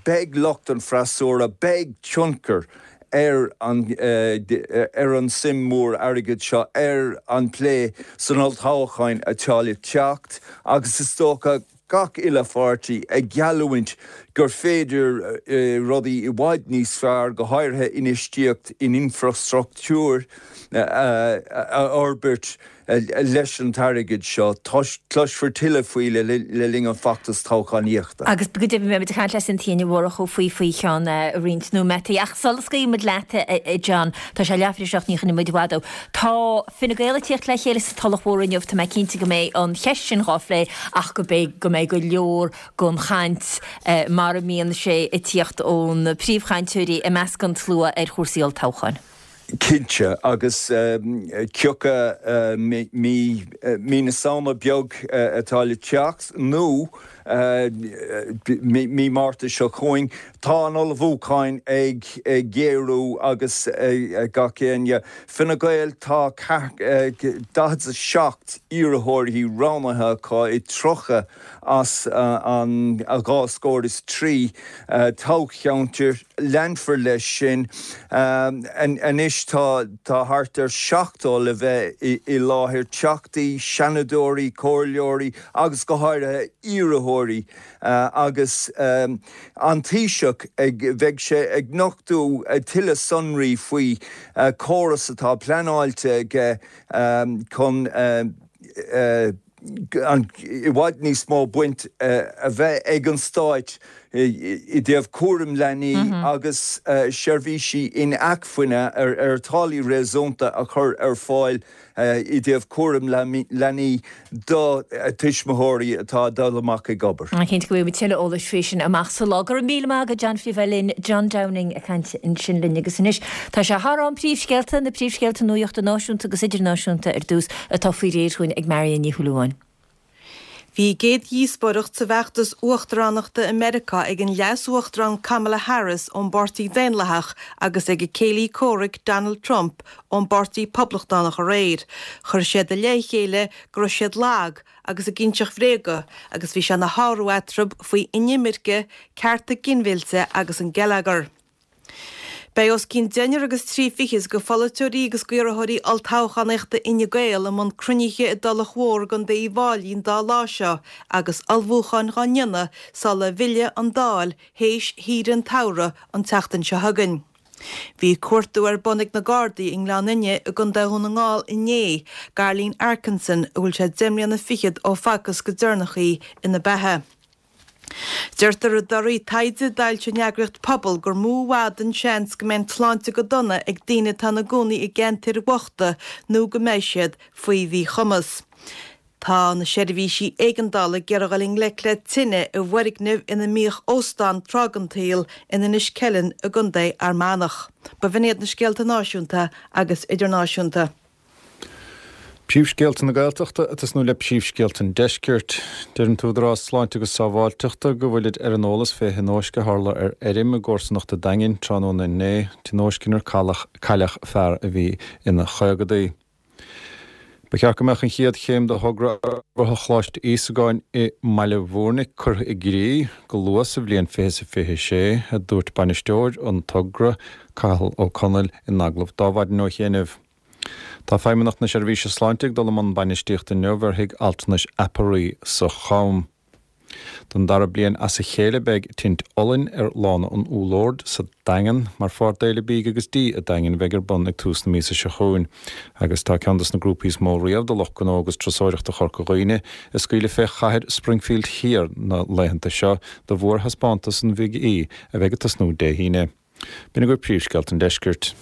Beidh lucht an freasúra, beidh tionchar ar an ar an suim mór airgid seo ar an bplé san olltoghchán atá le teacht agus is dócha gach uile pháirtí ag geallúint gur féidir rudaí i bhfad níos fearr, go háirithe infheistíocht in infreastruchtúr, a fhorbairt leis an t-airgead seo. Cloisfear tuilleadh faoi le linn an feachtas toghchánaíochta. Agus go deimhin beimid ag caint le Cynthia Ní Mhurchú faoi faoi cheann roinnt nóiméataí. Ach sula scaoilfidh muid leat, a John, tá sé leathuair tar éis a seacht, ní choinneoidh muid i bhfad thú. Tá Fine Gael ag tíocht le chéile sa Tulach Mhór inniu, tá mé cinnte go mbeidh an cheist sin dhá phlé ach go mbeidh go mbeidh go leor gon chaint mar a mbíonn sé ag tíocht ó na príomhchainteoirí i measc an tslua ar chúrsaí olltoghcháin. Cinnte, agus cioca mí mí na Samhna beag atá le teacht, nó mí Márta seo chugainn, tá an ullmhúcháin ag géarú agus gach éinne. Fine Gael, tá daichead a seacht iarrthóirí roghnaithe acu i tríocha as an dhá scór is trí toghcheantar. Leanfar leis sin. Anois tá thart ar seachtó le bheith i láthair, teachtaí, seanadóirí, comhairleoirí agus go háirithe iarrthóirí agus an Taoiseach ag, bheidh sé ag nochtadh tuilleadh sonraí faoi chóras atá pleanáilte aige chun i bhfad níos mó baint a bheith ag an stáit i dtaobh cúram leanaí agus seirbhísí inacmhainne ar táillí réasúnta a chur ar fáil i dtaobh cúram leanaí do tuismitheoirí atá ag dul amach ag obair. Cinnte go bhfaighidh muid tuilleadh eolais faoi sin amach sa lá. Go raibh míle maith agat John faoi bheith linn. John Downing ag caint ansin linn agus anois tá sé thar am príomhscéalta, na príomhscéalta nuachta náisiúnta agus idirnáisiúnta ar dtús atá faoi réir chugainn ag Marion Ní Shúilleabháin. Bhí a gcéad dhíospóireacht sa bhfeachtas uachtaránachta i Meiriceá ag an Leas-Uachtarán Kamala Harris ón bPáirtí Daonlathach agus ag a céilí comhraic Donald Trump ón bPáirtí Poblachtánach aréir. Chuir siad i leith a chéile go raibh siad lag agus ag inseacht bhréaga agus bhí sé ina shárú eatarthu faoi inimirce, cearta ginmhillte agus an geilleagar. Beidh os cionn deichniúr agus trí fichid de pholaiteoirí agus d'iarrthóirí olltoghchánaíochta Fhine Gael i mbun cruinnithe i dTulach Mhór i gContae Uíbh Fháilí an dá lá seo agus ullmhúcháin dhá ndéanamh sula bhfillfidh an Dáil théis shaoire an tsamhraidh an tseachtain seo chugainn. Bhí cuartú ar bun ag na Gardaí i nGleann Fhinne i gContae Dhún na nGall inné d'Arlene Arkinson a bhfuil sé deich mbliana fichead ó facthas go deireanach í ina beatha. Deirtear i dtorthaí taighde a d'fhoilsigh an eagraíocht Pobal gur mó i bhfad an seans go mbeidh an tsláinte go dona ag daoine atá ina gcónaí i gceantair bhochta nó go mbeidh siad faoi mhíchumas. Tá na seirbhísí éigeandála ag iarraidh dul i ngleic le tine i bhfoirgneamh ina mbíodh óstán tráth den tsaol in Inis Ceithleann i gContae Fhear Manach. B'in iad na scéalta náisiúnta agus idirnáisiúnta. Príomhscéalta na Gaeltachta ag tosnú le príomhscéalta an Deiscirt. Deir an tÚdarás Sláinte agus Sábháilteachta go bhfuilid ar an eolas fé thionóisc a tharla ar fheirm i gcomharsanacht an Daingin tráthnóna inné, tionóisc inar cailleadh fear a bhí ina chaogadaí. Ba cheart go mbeadh an chéad chéim de thogra forbartha Choláiste Íosagáin i mBaile Bhúirne curtha i gcrích go luath sa bhliain fiche is a fiche sé, a dúirt bainisteoir an togra, Cathal Ó Conaill, in agallamh d'Adhmhaidin ó chianaibh. Tá Feidhmeannacht na Seirbhíse Sláinte ag dul i mbun bainistíochta inniu ar thigh altranais Aparaí sa Cham. Don dara bliain as a chéile beidh tint olainn ar Lána an Úlloird sa Daingean mar pháirt d'Fhéile Bídh agus Dí an Daingin a bheidh ar bun ag tús na míosa seo chugainn. Agus tá ceann des na grúpaí is mó riamh de lucht gnó agus turasóireachta Chorca Dhuibhne ag scaoileadh fé chathair Springfield Thiar na laethanta seo do mhórthaispeántas an Bhig E a bheidh ag tosnú Dé hAoine. B'in agaibh príomhscéalta an deiscirt.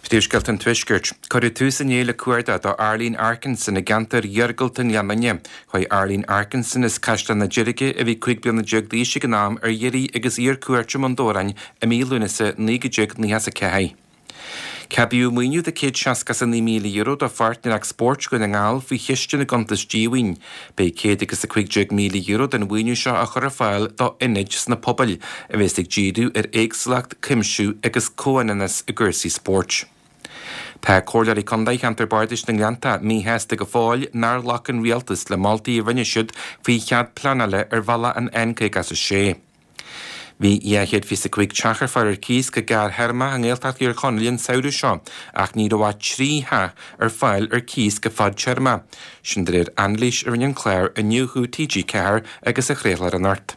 Príomhscéalta an Tuaiscirt. Cuireadh tús inné le cuardach do Arlene Arkinson i gceantar iargúlta an Ghleann Fhinne. Chuaigh Arlene Arkinson as Caisleán na Deirge, a bhí cúig bliana déag d'aois ag an am, ar iarraidh agus í ar cuairt i mBun Dobhráin i mí Lúnasa naoi déag nócha a ceathair. Ceadaíodh maoiniú de céad seasca is a naoi míle euro do Pháirtnéireacht Spóirt Dhún na nGall faoi Chiste na gCuntas Díomhaoin. Beidh céad agus a cúig déag míle euro den mhaoiniú seo á chur ar fáil do ionaid sna pobail a bheas ag díriú ar éagsúlacht, cuimsiú agus comhionannas i gcúrsaí spóirt. Tá Comhairleoirí Contae Cheantar Bardais na nGleannta míshásta go fóill nár ghlac an Rialtas le moltaí a rinne siad faoi chead pleanála ar bhealach an N caoga is a sé. Bhí dhá chéad fiche a cúig teach ar fáil ar cíos go gearrthéarmach i nGaeltacht Thír Chonaill an samhradh seo ach ní raibh ach trí theach ar fáil ar cíos go fadtéarma. Sin de réir anailís a rinne an clár Iniúchadh T G ceathair agus a chraolfar anocht.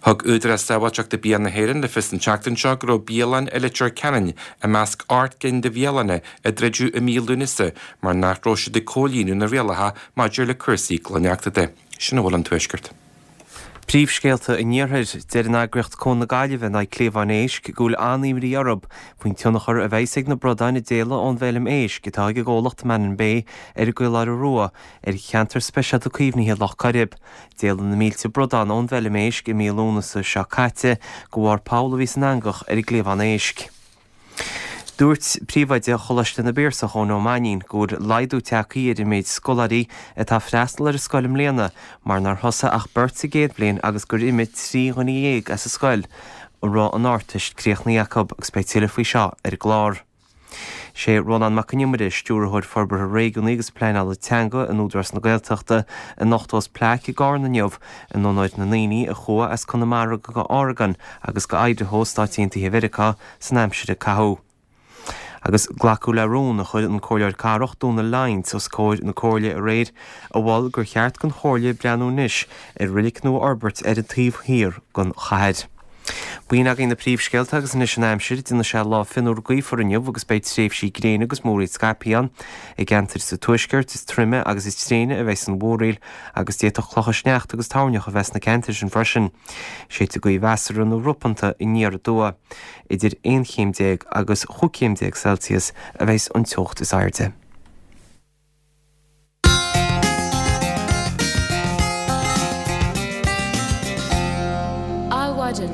Thug Údarás Sábháilteachta Bia na hÉireann le fios an tseachtain seo go raibh bialann i Leitir Ceanainn i measc ocht gcinn de bhialanna a druideadh i mí Lúnasa mar nach raibh siad ag comhlíonadh na rialacha maidir le cúrsaí glaineachta de. Sin a bhfuil ón Tuaisceart. Príomhscéalta an Iarthair, deir an eagraíocht Cuan na Gaillimhe in aghaidh cliabhán éisc go bhfuil an-imní orthu faoin tionchar a bheas ag na bradáin a d'éalaigh ón bhfeilm éisc atá ag an gcomhlacht Mannin Bay ar an gCaoláire Rua ar cheantar speisialta caomhnaithe Loch Coirib. D'éalaigh na mílte bradán ón bhfeilm éisc i mí Lúnasa seo caite de bharr poll a bhí san eangach ar an gcliabhán éisc. Dúirt príomhoide Choláiste na bPiarsach Eoin Ó Mainnín go bhfuil laghdú tagtha ar an méid scoláirí atá ag freastal ar an scoil i mbliana mar nár thosaigh ach beirt sa gcéad bhliain agus gur imigh trí dhuine dhéag as an scoil a raibh an Ardteist críochnaithe acu agus beidh tuilleadh faoi seo ar an gclár. Sé Rónán Mac Con Iomaire, Stiúrthóir Forbartha Réigiúnaí agus Pleanála Teanga in Údarás na Gaeltachta, a nochtós plaic i gCarna inniu in onóir na ndaoine a chuaigh as Conamara go Oregon agus go Idaho, Stáit Aontaithe Mheiriceá, san aimsir a caitheadh. Agus glacadh le rún a chuir an Comhairleoir Cathrach Dónal Lyons os comhair na Comhairle aréir a mhol gur cheart don Chomhairle breathnú anois ar reilig nua a fhorbairt ar an taobh thiar den chathair. B'in againn na príomhscéalta agus anois an aimsir, déanfaidh sé lá fionnuar gaofar inniu agus beidh tréimhsí gréine agus múraíl scaipthe ann. I gceantair sa tuaisceart is troime agus is tréine a bheidh an mhúraíl agus d'fhéadfadh clocha sneachta agus toirneach a bheith sna ceantair sin freisin. Séidfidh gaoth mheasartha nó ropanta aniar aduaidh. Idir aon chéim déag agus chúig chéim déag Celsius a bheidh an teocht is airde. Adhmhaidin.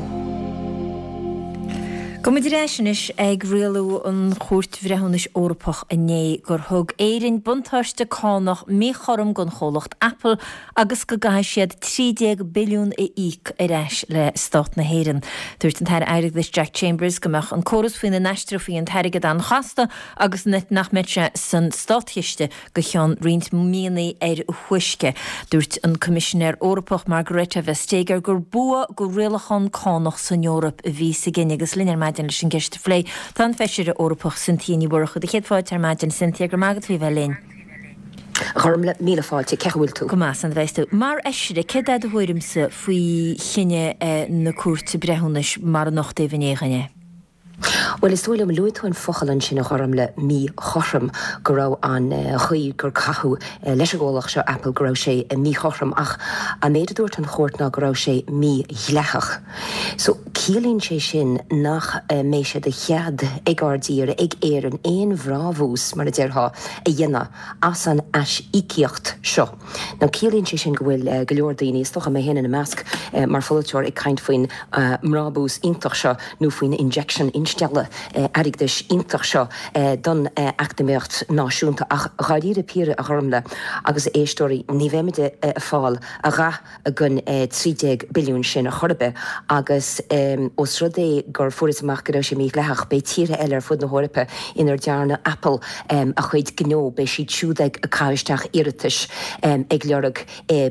Gabhfaidh muid ar ais anois ag rialú an Chúirt Bhreithiúnais Eorpach inné gur thug Éirinn buntáiste cánach míchothrom don chomhlacht Apple agus go gcaithfidh siad trí déag billiún a íoc ar ais le Stát na hÉireann. Dúirt an tAire Airgeadais Jack Chambers go mbeadh an córas faoina n-aistreofaí an t-airgead an-chasta agus nach mbeadh sé san státchiste go ceann roinnt míonna ar a thúisce. Dúirt an Coimisinéir Eorpach Margrethe Vestager gur bua do rialachán cánach san Eoraip a bhí sa gcinneadh agus linn ar maidin leis an gceist a phlé. Tá an Feisire Eorpach Cynthia Ní Mhurchú. Céad fáilte ar maidin, Cynthia, go raibh maith agat faoi bheith linn. Gormlaith, míle fáilte, cén chaoi a bhfuil tú? Go maith, san bheith tú. Mar Fheisire, céard é do thuairimse faoi chinneadh na Cúirte Breithiúnais mar a nochtadh inné dhúinn é? Bhuel, is dóigh liom, luaigh tú an focal ansin a Ghormlaith, míchothrom, go raibh an chaoi gur caitheadh leis an gcomhlacht seo, Apple, go raibh sé míchothrom ach an méid a dúirt an chúirt ná go raibh sé mídhleathach. So, ciallaíonn sé sin nach mbeidh sé de chead ag ár dtír, ag Éirinn, aon bhrabús, mar a déarfá, a dhéanamh as an aisíocaíocht seo. Now, ciallaíonn sé sin go bhfuil go leor daoine, is dócha mé féin ina measc, mar pholaiteoir, ag caint faoin mbrabús iontach seo nó faoin injection, instealladh airgeadais iontach seo don eacnamaíocht náisiúnta. Ach dháiríre píre, a Ghormlaith agus a éisteoirí, ní bheimid ag fáil a dhath den trí déag billiún sin ar chor ar bith agus ós rud é gur fuarthas amach go raibh sé mídhleathach, beidh tíortha eile ar fud na hEorpa inar dearna Apple a chuid gnó, beidh siad siúd ag caitheamh isteach iarratais ag lorg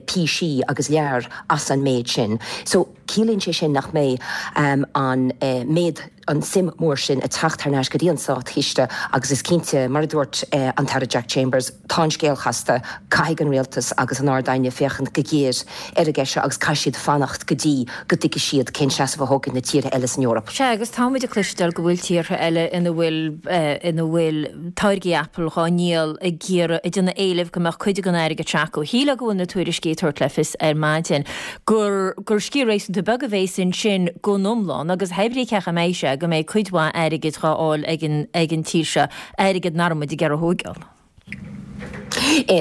písí agus lear as an méid sin. So, ciallaíonn sé sin nach mbeidh an méid, an suim mór sin ag teacht thar n-ais go dtí an Státchiste agus is cinnte, mar a dúirt an tAire Jack Chambers, tá an scéal casta, caithfidh an Rialtas agus an Ard-Aighne féachaint go géar ar an gceist seo agus caithfidh siad fanacht go dtí go dtuigfidh siad cén seasamh a thógfaidh na tíortha eile san Eoraip. Sea, agus táimid ag cloisteáil go bhfuil tíortha eile ina bhfuil ina bhfuil táirgí Apple dhá ndíol ag iarraidh, ag déanamh éilimh go mbeadh cuid den airgead seo acu. Shílfeá go bhfuil na tuairiscí ag tabhairt le fios ar maidin gur gur sciar réasúnta beag a bheas ansin gon iomlán agus hé brí cé chomh maith sé go mbeidh cuid mhaith airgid dhá fháil ag an ag an tír seo, airgead nach raibh muid ag iarraidh a thógáil.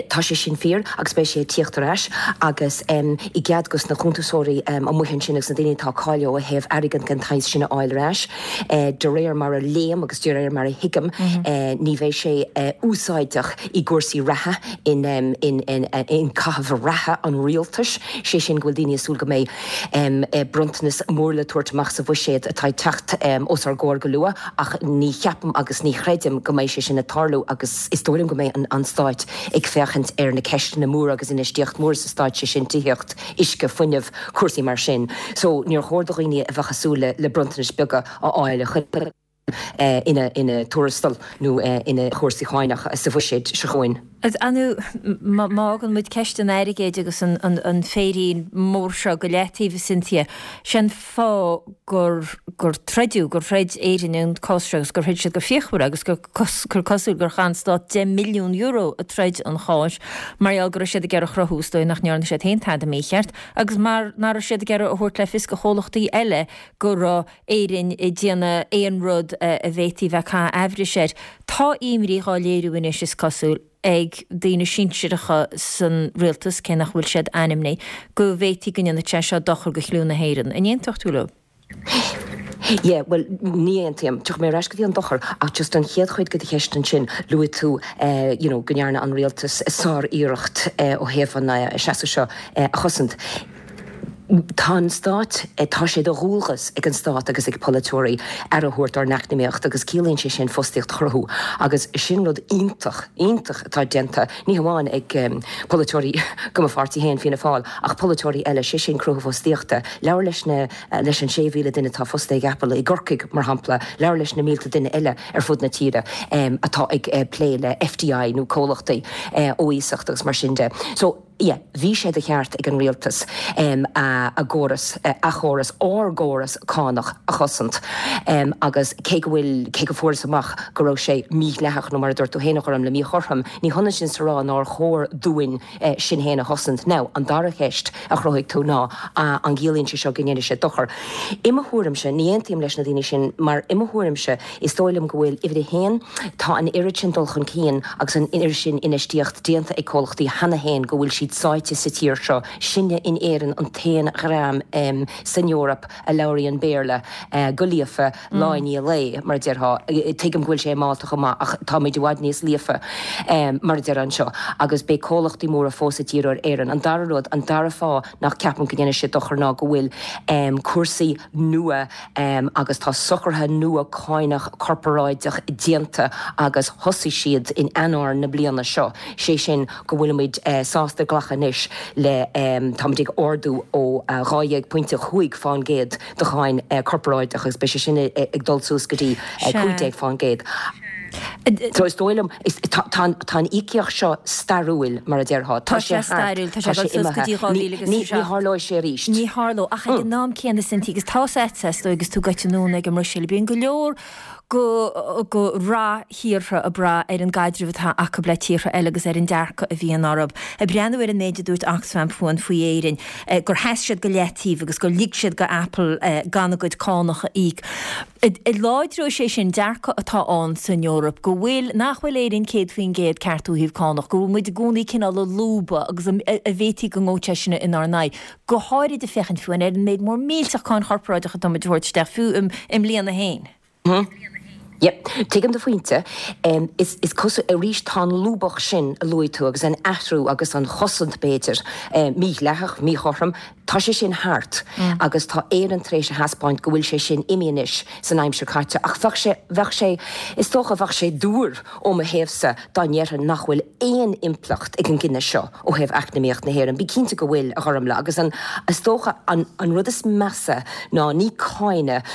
Tá sé sin fíor agus beidh sé ag tíocht ar ais agus i gcead dos na cuntasóirí amuigh ansin agus na daoine atá cáilithe ó thaobh airgead den tsaghas sin a fháil ar ais. De réir mar a léim agus de réir mar a thuigim, ní bheidh sé úsáideach i gcúrsaí reatha, in in caitheamh reatha an rialtais, sé sin go bhfuil daoine ag súil go mbeidh bronntanas mór le tabhairt amach sa bhuiséad atá ag teacht os ár gcomhair go luath ach ní cheapaim agus ní chreidim go mbeidh sé sin ag tarlú agus is dóigh liom go mbeidh an Stáit ag féachaint ar na ceisteanna móra agus infheistíocht mór sa Stát, sé sin tithíocht, uisce, fuinneamh, cúrsaí mar sin. So níor chóir do dhaoine a bheadh ag súil le bronntanais beaga a fháil a chur ina ina tuarastal nó ina chúrsaí cáinach sa bhuiséad seo chugainn. Ar ndóigh, má fhágann muid ceist an airgid agus an féirín mór seo go leataobh, a Cynthia, sin fáth gur gur troideadh, gur throid Éirinn an cás seo agus gur throid siad go fíochmhar agus gur gur cosúil gur chaith an stát deich milliún euro ag troid an cháis mar gheall go raibh siad ag iarraidh a chruthú, is dóigh, nach ndearna siad féin tada mícheart agus mar nach raibh siad ag iarraidh a thabhairt le fios do chomhlachtaí eile go raibh Éirinn ag déanamh aon rud a bhféadfaí bheith ag caitheamh aimhris air. Tá imní dhá léiriú anois, is cosúil, ag daoine sinsearacha san rialtas, cé nach bhfuil siad ainmnithe, go bhféadfaí go ndéanfadh sé seo dochar do chliú na hÉireann. An aontódh tú leo? Yeah, bhuel, ní aontaím. Tiocfaidh mé ar ais go dtí an dochar, ach just an chéad chuid de do cheist ansin, luaigh tú you know go ndearna an rialtas sár-iarracht ó thaobh an seasamh seo a chosaint. Tá an Stát, tá sé de dhualgas ag an Stát agus ag polaiteoirí aire a thabhairt dár n-eacnamaíocht agus ciallaíonn sé sin fostaíocht a chruthú agus sin rud iontach, iontach atá déanta, ní hamháin ag polaiteoirí de mo pháirtí féin, Fianna Fáil, ach polaiteoirí eile, sé sin cruthú fostaíochta. Labhair leis na, leis an sé mhíle duine atá fostaithe ag Apple i gCorcaigh, mar shampla, labhair leis na mílte duine eile ar fud na tíre atá ag plé le F D I nó comhlachtaí ó iasacht agus mar sin de. So, yeah, bhí sé de cheart ag an rialtas a gcóras, a chóras, ár gcóras cánach a chosaint agus cé go bhfuil, cé go fuarthas amach go raibh sé mídhleathach nó mar a dúirt tú féin a Ghormlaith, míchothrom, ní hionann sin is a rá nár chóir dúinn sinn féin a chosaint. Now, an dara ceist a chruthaigh tú ná an gciallaíonn sé seo go ndéanfaidh sé dochar? I mo thuairimse, ní aontaím leis na daoine sin mar i mo thuairimse is dóigh liom go bhfuil, uimhir a haon, tá an oiread sin dul chun cinn agus an oiread sin infheistíocht déanta ag comhlachtaí cheana féin go bhfuil siad sáite sa tír seo. Sinne in Éirinn an t-aon dhream san Eoraip a labhraíonn Béarla go líofa lá i ndiaidh lae, mar a déarfá. Tuigim go bhfuil sé i Málta chomh maith ach táimid i bhfad níos líofa, mar a déarfá, anseo agus beidh comhlachtaí móra fós ag díriú ar Éirinn. An dara rud, an dara fáth nach ceapaim go ndéanfaidh sé dochar ná go bhfuil cúrsaí nua agus tá socruithe nua cánach corparáideach déanta agus thosaigh siad in Eanáir na bliana seo, sé sin go bhfuilimid sásta glacadh anois le, táimid ag ardú ó dhá dhéag pointe chúig fán gcéad de cháin corparáideach agus beidh sé sin ag dul suas go dtí cúig déag fán gcéad. So is dóigh liom, tá an íocaíocht seo stairiúil, mar a déarfá. Tá sé stairiúil, tá sé ag dul suas go dtí dhá mhíle agus a Ní tharlóidh sé arís. Ní tharlóidh, ach ag an am céanna, Cynthia, agus tá a fhios agat agus tú gaibhte anonn ag an mBruiséil, bíonn go leor go go rath thíortha ag brath ar an gcaidreamh atá acu le tíortha eile agus ar an dearcadh a bhíonn orthu. Ag breathnú ar an méid a dúirt Oxfam fúinn faoi Éirinn, gur sheas siad go leataobh agus gur lig siad go Apple gan a gcuid cánach a íoc. Láidreoidh sé sin dearcadh atá ann san Eoraip go bhfuil, nach bhfuil Éirinn céad faoin gcéad ceart ó thaobh cánach, go bhfuil muid i gcónaí cineál ag lúbadh agus a bhféadfaí go ngabhadh sé sin inár n-aghaidh, go háirid ag féachaint fiú ar an méid mór millteach cáin chorparáideach atá muid a thabhairt isteach fiú i mbliana féin. Yep, tuigim do phointe. Is is cosúil, arís, tá an lúbadh sin a luaigh tú agus an athrú agus an chosaint b'fhéidir, mídhleathach, míchothrom, tá sé sin thart agus tá Éirinn tar éis a thaispeáint go bhfuil sé sin imithe anois san aimsir caite. Ach bheadh sé, bheadh sé, is dócha, bheadh sé dúr ó mo thaobhsa dá ndéarfainn nach bhfuil aon impleacht ag an gcinneadh seo ó thaobh eacnamaíocht na hÉireann. Bí cinnte go bhfuil, a Ghormlaith, agus an, is dócha, an, an rud is measa ná ní cáineadh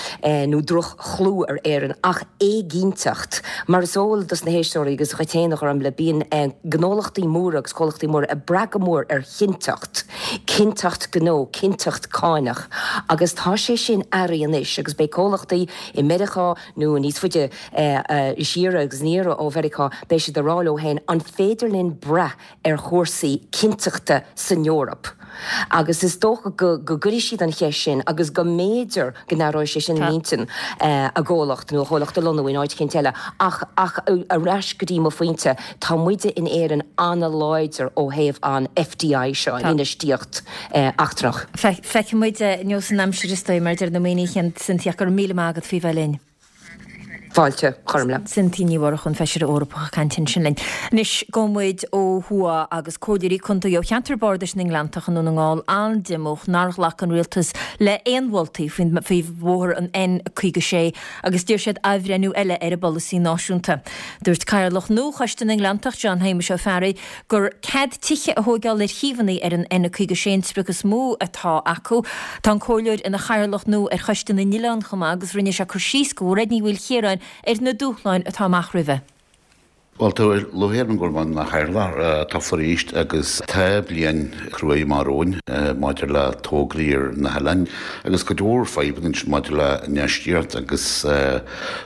nó droch chlú ar Éirinn ach éiginnteacht. Mar is eol dos na héisteoirí agus dhuit féin, a Ghormlaith, bíonn gnólachtaí móra agus comhlachtaí móra ag brath go mór ar chinnteacht, cinnteacht gnó, cinnteacht cánach agus tá sé sin athraithe anois agus beidh comhlachtaí i Meiriceá nó níos faide siar agus aniar ó Mheiriceá, beidh siad ag rá leo féin, an féidir linn brath ar chúrsaí cinnteachta san Eoraip? Agus is dócha go go gcuirfidh siad an cheist sin agus go mb'fhéidir go n-athróidh sé sin a n-intinn a gcomhlacht nó a chomhlacht a lonnú in áit éicint eile. Ach ach ar ais go dtí mo phointe, tá muide in Éirinn an-láidir ó thaobh an F D I seo, an infheistíocht eachtrach. Feicfidh muid nós an aimsir is dóigh mar deir na ndaoine Cynthia, go raibh míle maith agat faoi bheith linn. Fáilte chormle. Cynthia Ní Mhurchú, an Feisire Eorpach ag caint ansin linn. Anois gabhfaidh muid ó thuaidh agus comhairleoirí contae ó cheantar bardais na nGleanntach i nDún na nGall an-díomách nár ghlac an rialtas le haon mholtaí faoi bhóthar an N caoga sé agus d'iarr siad athbhreithniú eile ar an bpolasaí náisiúnta. Dúirt Cathaoirleach nua Choiste na nGleanntach John Shéamuis Ó Fearraigh gur cead tithe a thógáil ar shuíomhanna ar an N caoga sé an sprioc is mó atá acu. Tá an comhairleoir ina chathaoirleach nua ar Choiste na nOileán chomh maith agus rinne sé cur síos do Mhairéad Ní Mhaoilchiaráin ar na dúshláin atá amach roimhe. Well tá lúcháir orm go bhfuil mé ina chathaoirleach tofa arís agus tá bliain chruaidh amach romhainn maidir le tograí ar na hoileáin agus cuid mhór fadhbanna ansin maidir le infheistíocht agus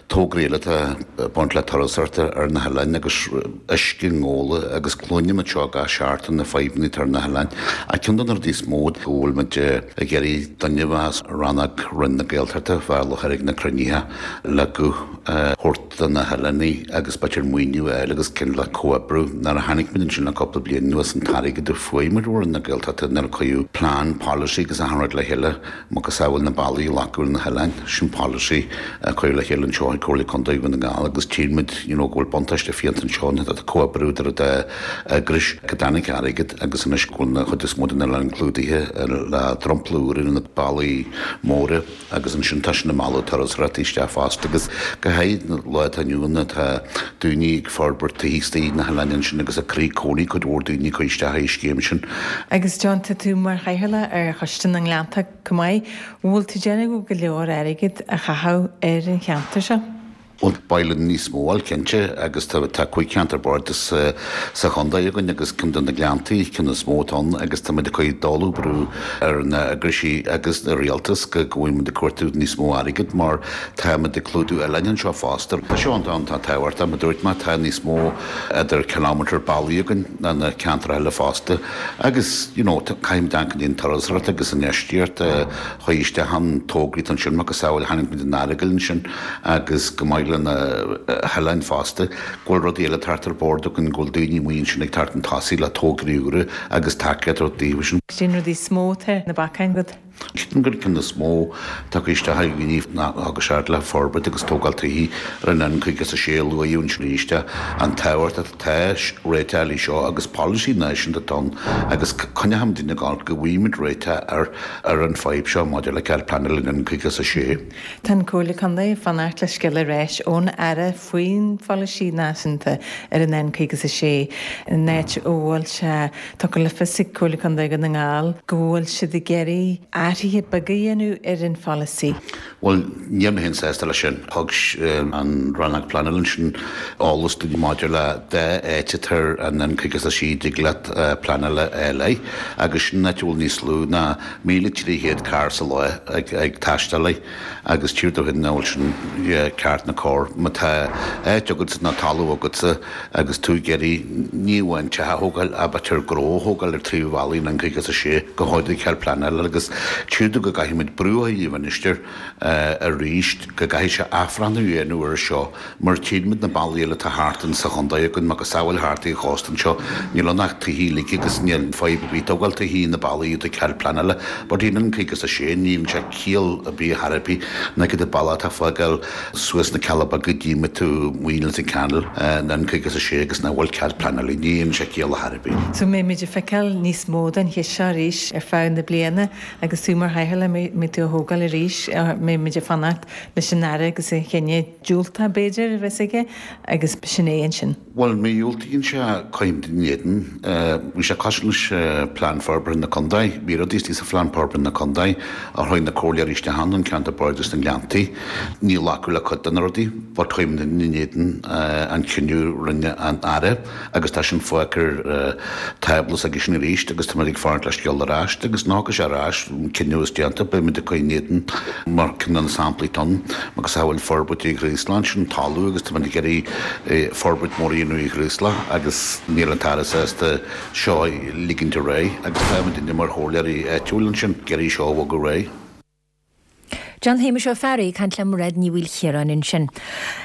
tograí eile atá ag baint le turasóireacht ar na hoileáin agus uisce ngóla agus cluinim seo gach seachtain na fadhbanna atá ar na hoileáin. Ach ceann de na rudaí is mó go bhfuil muid ag iarraidh duine as rannóg Roinn na Gaeltachta bheith i láthair ag na cruinnithe le guth a thabhairt do na hoileáin agus b'fhéidir maoiniú a fháil agus cineál le comhoibriú. Nuair a tháinig muid ansin le cúpla bliain anuas an t-airgead a fuair muid ó Roinn na Gaeltachta nuair a cuireadh plean policy agus achan rud le chéile macasamhail na bealaí a ghlacadh ar na hoileáin sin policy a cuireadh le chéile anseo ag Comhairle Contae Dhún na nGall agus tchíonn muid you know, go bhfuil buntáiste fiúntach anseo na comhoibriú idir dá eagrais go dtáinig airgead agus anois go bhfuil na chuid is mó den oileán clúdaithe le dromchla úr ar na bealaí móra agus ansin tá sin ag mealladh turasóirí isteach fosta agus go háirithe na lá atá inniu ann tá daoine ag forbairt tithíochta na hoileáin ansin agus ag cur cónaí cuid mhór daoine chuir isteach i scéim sin. Agus John tá tú mar chathaoirleach ar Choiste na nGleanntach chomh maith, bhfuil tú déanamh go leor airgead a chaitheamh ar an cheantar seo? Bhuel b'áil linn níos mó a fháil cinnte agus tá tá cúig cheantar bardais sa chontae againn agus ceann de na Gleanntaí ceann is mó atá ann agus tá muid ag cur dóladh brú ar na eagraisí agus na rialtas go bhfuil muid ag cuartú níos mó airgead mar tá muid ag clúdú oileáin anseo fosta. Tá seo an tá tábhachtach mar dúirt mé tá níos mó idir kilometer bealaí againn ná na ceantair eile fosta agus you know caithfimid amharc an turasóireacht agus an infheistíocht chuir isteach an tograí ansin macasamhail tháinig muid an Earagail ansin agus go maith le na hoileáin fosta go bhfuil rudaí eile thart ar bord againn go bhfuil daoine amuigh ansin ag teacht chun tosaigh le tograí úra agus tacaíocht daofa sin. Sin rudaí is mó atá na bacáin agat. Ceapaim gur ceann is mó tá isteach ag gníomh ná agus seard le forbairt agus tógáil tithe ar an N caoga a sé luaidh ansin arís an tábhacht atá réiteach seo agus policy náisiúnta ann agus coinneoidh duine gal go bhfuimid réiteach ar ar an fadhb seo maidir le cead pleanála an caoga a sé. Tá an Comhairle Contae ag fanacht le scéal ar ais ón Aire faoin pholasaí náisiúnta ar an N caoga a sé in áit ó bhfuil sé tugtha le fios ag Comhairle Contae Dhún na nGall go bhfuil siad ag iarraidh athruithe beaga a dhéanamh ar an pholasaí. Well níl mé sásta leis sin thug an rannóg pleanála sin eolas dúinn maidir le dá áit ar an N caoga a sé dtig leat pleanála eile agus sin áit bhfuil níos lú ná míle trí chéad carr sa lá ag, ag taisteal agus tír do hin bhfuil sin ceart na cóir má tá áit agat ná talamh agatsa agus tú ag iarraidh ní amháin teach a thógáil ach b'fhéidir gnó a thógáil ar trí bhealaí an caoga a sé go háirithe cead pleanála agus tíú go gcaithfimid brú a chur ar an Minister arís go gcaithfidh sé athbhreithniú a dhéanamh ar seo mar tchímid na bealaí eile atá thart in sa chontae againn macasamhail thart i chósta seo níl ann ach tithe uilig agus níl fadhb ar bith tógáil tithe na bealaí atá cead pleanála but in an caoga a sé níl sé ciall ar bith thar ar bith na go bealach atá fágáil suas na Cealla Beaga dtí tú muoin an canal na an caoga a sé agus nach bhfuil cead pleanála níl sé ciall thar ar bith. So mbeimid ag feiceáil níos mó den cheist seo arís ar feadh na bliana agus tú mar chathaoirleach mbeidh tú á thógáil arís mbeimid ag fanacht leis an Aire agus a chinneadh diúltach b'fhéidir a bheas aige agus sin é ansin. Well má dhiúltaíonn sé coim den éadan bhí sé cosúil leis plean forbartha na contae, bhí rudaí sa phlean forbartha na contae a chuir na comhairleoirí isteach an ceantar bardais na Gleanntaí, ní glacadh le cuid de na rudaí, but chuim den éadan an cinneadh rinne an Aire agus tá sin fágtha ar tábla agus sin arís agus tá ag fanacht le scéal ar ais agus ná go sé ar ais cinneadh is déanta, beidh muid ag cur in éadan mar ceann de na samplaí atá ann agus a bhfuil forbairt i nGraceland, sin talamh agus tá muid ag iarraidh forbairt mór a dhéanamh i Ghraceland agus níl an tAire sásta seo a ligint ar aghaidh agus tá muid mar chomhairleoirí áitiúil ansin ag iarraidh seo a bhogadh ar aghaidh. John Shéamuis Ó Fearraigh ag caint le Mairéad Ní Mhaoilchiaráin ansin.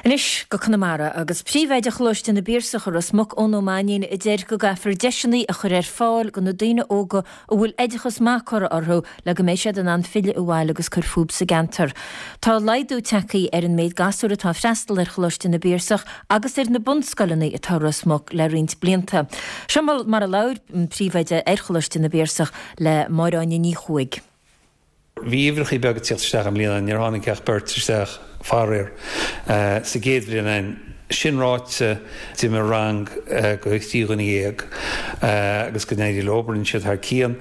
Anois go Conamara agus príomhoide Choláiste na bPiarsach i Ros Muc Eoin Ó Mainnín a deir go gcaithfear deiseanna a chur ar fáil do na daoine óga a bhfuil oideachas maith curtha orthu le go mbeidh siad in ann filleadh abhaile agus cur fúthu sa gceantar. Tá laghdú tagtha ar an méid gasúr atá ag freastal ar Choláiste na bPiarsach agus ar na bunscoileanna atá i Ros Muc le roinnt blianta. Seo mar a labhair an príomhoide ar Choláiste na bPiarsach le Máire Áine Ní Chuaig. Bhí uimhreachaí beaga ag tíocht isteach i mbliana, níor tháinig ach beirt isteach faraor sa gcéad bhliain againn. Sin ráite, d'imigh rang go trí dhuine dhéag agus go n-éirí leo, rinne siad thar cionn.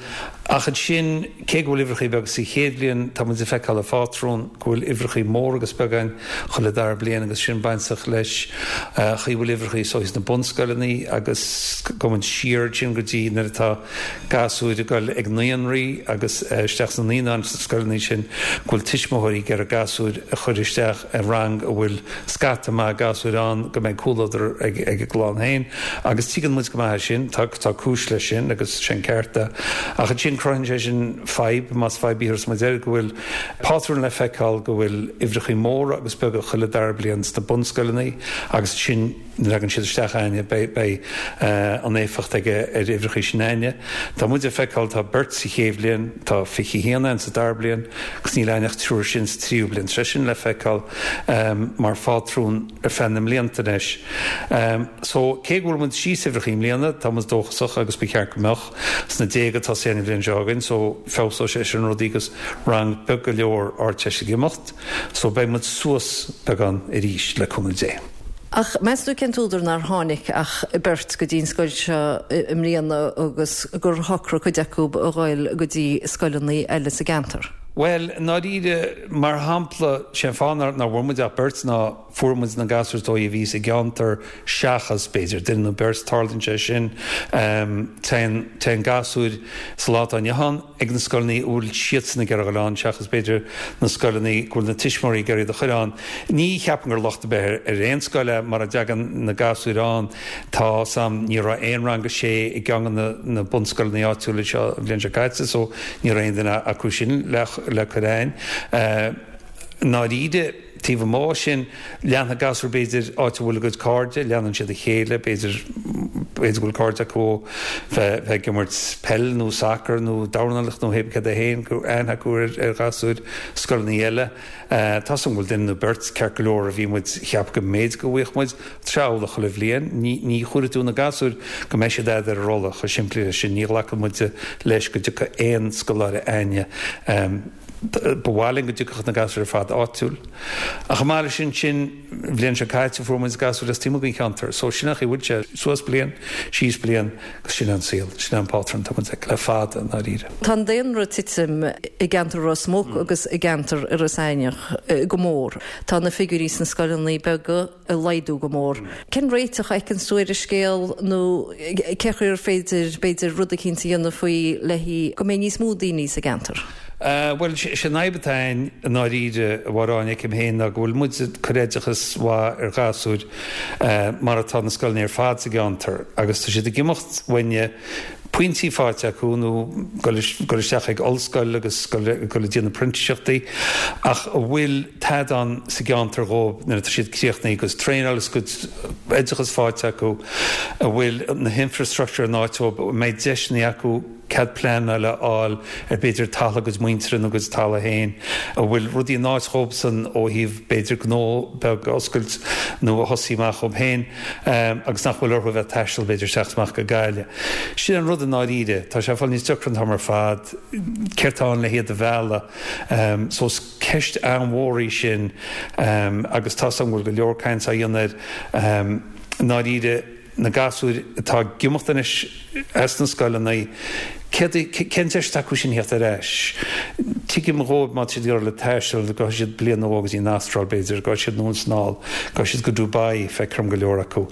Ach ansin, cé go bhfuil uimhreachaí beaga sa chéad bhliain, tá muid ag feiceáil an phátrún go bhfuil uimhreachaí móra agus beaga againn chuile dara bliain agus sin bainteach leis chaoi bhfuil uimhreachaí so sna bunscoileanna agus go muid siar ansin go dtí nuair atá gasúir ag dul ag naíonraí agus isteach sna naíonáin sna scoileanna sin go bhfuil tuismitheoirí ag iarraidh gasúir a chur isteach i rang a bhfuil scata maith gasúir ann go mbeidh comhluadar ag ag a gclann féin agus tuigeann muid go maith é sin, tá tá cúis leis sin agus sin ceart é. Ach ansin cruthaíonn sé sin fadhb, más fadhb í a thabharfas muid air, go bhfuil pátrún le feiceáil go bhfuil uimhreachaí móra agus beaga chuile dara bliain sna bunscoileanna agus ansin nuair a thagann siad isteach againne beidh beidh an éifeacht aige ar uimhreachaí sin againne. Tá muid ag feiceáil tá beirt sa chéad bhliain, tá fiche a haon againn sa dara bliain agus níl againn ach triúr sin sa tríú bliain. Tá sé sin le feiceáil mar phátrún ar feadh na mblianta anois. So cé go bhfuil muid síos uimhreachaí i mbliana, tá muid dóchasach agus ba cheart go mbeadh sna déaga atá an bhliain seo againn so feabhsóidh sé sin rudaí agus rang beag go leor Ardteist ag imeacht so beidh muid suas beagán arís le cúnamh Dé. Ach meas tú cén t-údar nár tháinig ach beirt go dtí an scoil seo i mbliana agus gur shocraigh cuid acu a ghoil go dtí scoileanna eile sa gceantar? Bhuel, i ndáiríre, mar shampla, sé an fáth nár bhfuair muid ach beirt ná fuair muid na gasúir is dóigh a bhí sa gceantar seachas, b'fhéidir, duine nó beirt, tarlaíonn sé sin. Téann, téann gasúir sa lá atá inniu ann ag na scoileanna a bhfuil siadsan ag iarraidh a dhul ann seachas, b'fhéidir, na scoileanna go bhfuil na tuismitheoirí ag iarraidh iad a chur ann. Ní cheapaim gur locht ar bith ar aon scoil é mara dtagann na gasúir ann. Tá 's a'm, ní raibh aon rang a sé i gceann de na bunscoileanna áitiúla seo an bhliain seo caite so ní raibh aon duine acu sin le le cur a'ainn. I ndáiríre, taobh amuigh sin, leanfaidh gasúir b'fhéidir áit a bhfuil a gcuid cairde, leanann siad a chéile, b'fhéidir, b'fhéidir go bhfuil cairde acu ó bheith ag imirt peil nó sacar nó dornálaíocht nó hé cad é féin, go bhfuil aithne acu ar ar ghasúir scoileanna eile. Tá 's a'm go bhfuil duine nó beirt ceart go leor a bhí muid, cheap go mb'fhéidir go bhfaigheadh muid amhlaidh chuile bhliain. Ní, ní chuirfidh tú na gasúir go mbeidh siad a'd ar an rolla, chomh simplí leis sin. Ní ghlacann muide leis go dtiocfaidh aon scoláire a'ainne. Ba mhaith linn go dtiocfadh na gasúir ar fad áitiúil. Ach chomh maith leis sin, sin, an bhliain seo caite fuair muid gasúir as taobh amuigh den cheantar. So sin an chaoi a bhfuil sé, suas bliain, síos bliain agus sin an saol, sin an pátrún atá muid ag le fada i ndáiríre. Tá an daonra ag titim i gceantar Ros Muc agus i gceantar Iorras Aithneach go mór. Tá na figiúirí sna scoileanna beaga ag laghdú go mór. Cén réiteach a fheiceann tú ar an scéal nó cé chaoi ar féidir, b'fhéidir, rud eicínt a dhéanamh faoi le go mbeidh níos mó daoine sa gceantar? Bhuel, sé an fhadhb atá ann i ndáiríre, a Mháire Áine, feicim féin, ná go bhfuil muid ag cur oideachas mhaith ar ghasúir mar atá na scoileanna ar fad sa gceantar agus tá siad ag imeacht uainne, pointí faighte acu nó dul isteach ag ollscoil agus dul ag déanamh printíseachtaí ach a bhfuil tada ann sa gceantar dhóibh nuair atá siad críochnaithe agus traenáil agus cuid oideachas faighte acu, a bhfuil na hinfrastructure in áit dhóibh, a mbeidh deiseanna acu. cead pleanála a fháil ar b'fhéidir talamh a gcuid muintire nó a gcuid talamh féin, a bhfuil rudaí in áit dhóibhsan ó thaobh b'fhéidir gnó beag a oscailt nó a thosaí amach dhóibh féin agus nach bhfuil orthu a bheith ag taisteal b'fhéidir isteach is amach go Gaillimh. Sin an rud i ndáiríre. Tá sé ag fáil níos deacra an t-am ar fad. Céard tá ann le hiad a mhealladh? So is ceist an-mhór í sin agus tá 's agam go bhfuil go leor caint á dhéanamh air i ndáiríre. na gasúir atá ag imeacht anois as na scoileanna, céard, cén deis atá acu sin theacht ar ais? Tuigim dhóibh má tá siad ag iarraidh taisteal, gabhfaidh siad bliain nó dhó go dtí an Astráil b'fhéidir, gabhfaidh siad anonn is anall, gabhfaidh siad go Dubai, feictear dom go leor acu,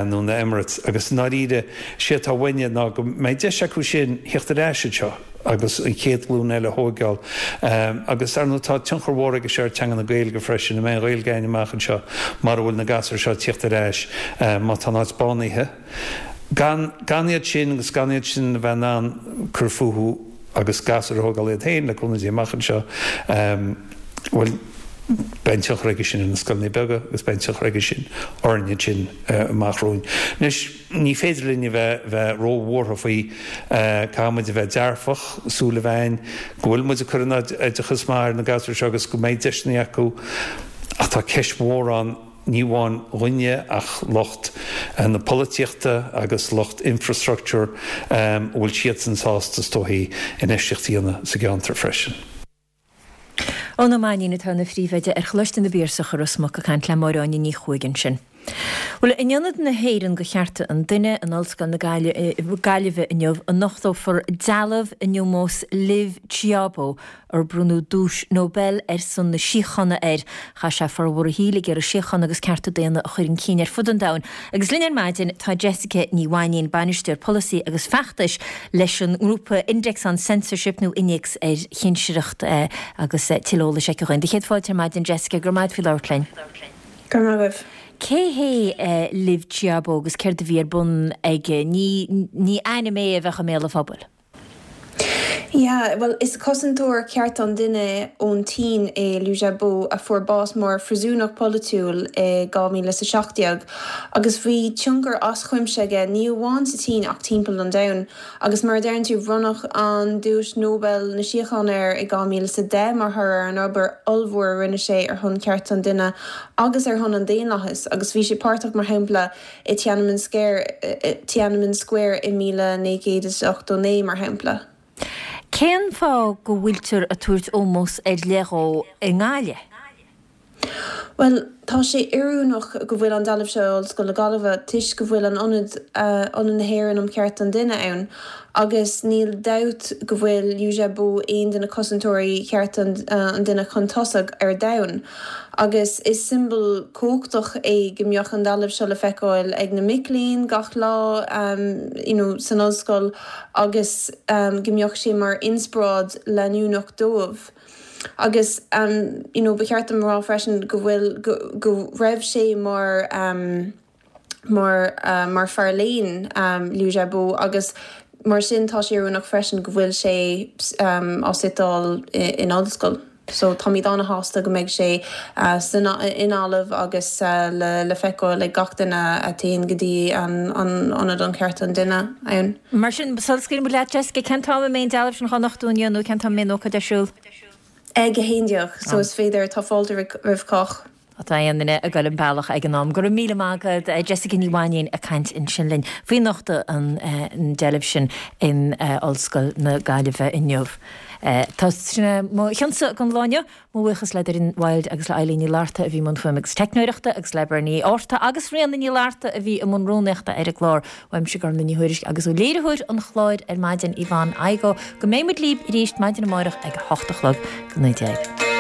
nó na Emirates, agus i ndáiríre, sé atá uainne ná go mbeidh deis acu sin theacht ar ais anseo. agus an chéad ghlúin eile a thógáil. Agus ar ndóigh tá tionchar mhór aige seo ar teanga na Gaeilge freisin, an mbeidh an Ghaeilge againn amach anseo mara bhfuil na gasúir seo ag tíocht ar ais má tá an áit bánaithe. Gan gan iad sin agus gan iad sin a bheith in ann cur fúthu agus gasúir a thógáil iad féin le cúnamh Dé amach anseo, bhuel, beidh an tionchar aige sin ar na scoileanna beaga agus beidh an tionchar aige sin orainne ansin amach romhainn. Anois, ní féidir linn a bheith bheith róbhuartha faoi, caithfidh muid a bheith dearfach, súil a bheith againn go bhfuil muid ag cur an oideachas maith ar na gasúir seo agus go mbeidh deiseanna acu ach tá ceist mhór ann, ní amháin dhúinne ach lucht na polaitíochta agus lucht infrastructure, an bhfuil siadsan sásta is dóichí infheistíocht a dhéanamh sa gceantar freisin. Eoin Ó Mainnín atá ina phríomhoide ar Choláiste na bPiarsach i Ros Muc ag caint le Máire Áine Ní Chuaig ansin. Bhuel, in Ionad na hÉireann do Chearta an Duine in Ollscoil na Gaillimhe inniu a nochtófar dealbh in ómós Liu Xiaobo, ar bronnadh duais Nobel ar son na síochána air. Chaith sé formhór a shaoil ag iarraidh síochána agus cearta daonna a chur chun cinn ar fud an domhain. Agus linn ar maidin tá Jessica Ní Mhainín, Bainisteoir Polasaí agus Feachtais leis an ngrúpa Index on Censorship nó Innéacs ar Chinsireacht agus tuilleadh eolais aici dhúinn. Do chéad fáilte ar maidin Jessica, go raibh maith agat faoi labhairt linn. Go raibh maith agaibh. Cé hé Liu Xiaobo agus céard a bhí ar bun aige? Ní ní ainm é a bheadh i mbéal an phobail. Yeah, bhuel is cosantóir cearta an duine ón tSín é Liu Xiaobo a fuair bás mar phríosúnach polaitiúil i dhá mhíle is a seacht déag agus bhí tionchar as cuimse aige ní amháin sa tSín ach timpeall an domhain agus mar a deireann tú bronnadh an Duais Nobel na Síochána air i dhá mhíle is a deich mar thoradh ar an obair ollmhór a rinne sé ar shon cearta an duine agus ar shon an daonlathais agus bhí sé páirteach mar shampla i Tiananmen Square Tiananmen Square i míle naoi gcéad is ochtó naoi mar shampla. Cén fáth go bhfuiltear ag tabhairt ómós ar leith dhó i nGaillimh? Bhuel, tá sé oiriúnach go bhfuil an dealbh seo i Ollscoil na Gaillimhe toisc go bhfuil an Ionad, Ionad na hÉireann um Chearta an Duine ann agus níl dabht go bhfuil Liu Xiaobo aon de na cosantóirí chearta an duine chun tosaigh ar domhan. Agus is siombail chumhachtach é go mbeadh an dealbh seo le feiceáil ag na mic léinn gach lá you know san ollscoil agus go mbeadh sé mar inspioráid leanúnach dóibh. Agus you know ba cheart dom a rá freisin go bhfuil go go raibh sé mar mar mar fear léinn Liu Xiaobo agus mar sin tá sé oiriúnach freisin go bhfuil sé á suiteáil in ollscoil. So táimid an-shásta go mbeidh sé san i nGaillimh agus le le feiceáil ag gach duine a théann go dtí an an Ionad um Chearta an Duine ann. Mar sin, sula scaoileann muid leat Jessica, cén t-am a mbeidh an dealbh sin dhá nochtadh inniu nó cén t-am a mbeidh an ócáid ar siúl? Ag a haon déag, so is féidir, tá fáilte roimh chách. Tá aon duine ag goil an bealach ag an am. Go raibh míle maith agat, Jessica Ní Mhainín ag caint ansin linn faoi nochtadh an deilbh sin in Ollscoil na Gaillimhe inniu. Tá sin é mo chionsa don lá inniu. Mo bhuíochas le Doireann Wild agus le Eileen Ní Fhlatharta a bhí i mbun fuaime agus teicneoireachta agus le Bernie Orta agus Ríona Ní Fhlatharta a bhí i mbun rúnaíochta ar an gclár. Uaimse Gormfhlaith Ní Thuairisg agus ó léiritheoir an chláir ar maidin Yvonne Igoe go mbeidh muid libh arís maidin amárach ag a hocht a chlog go naoi déag.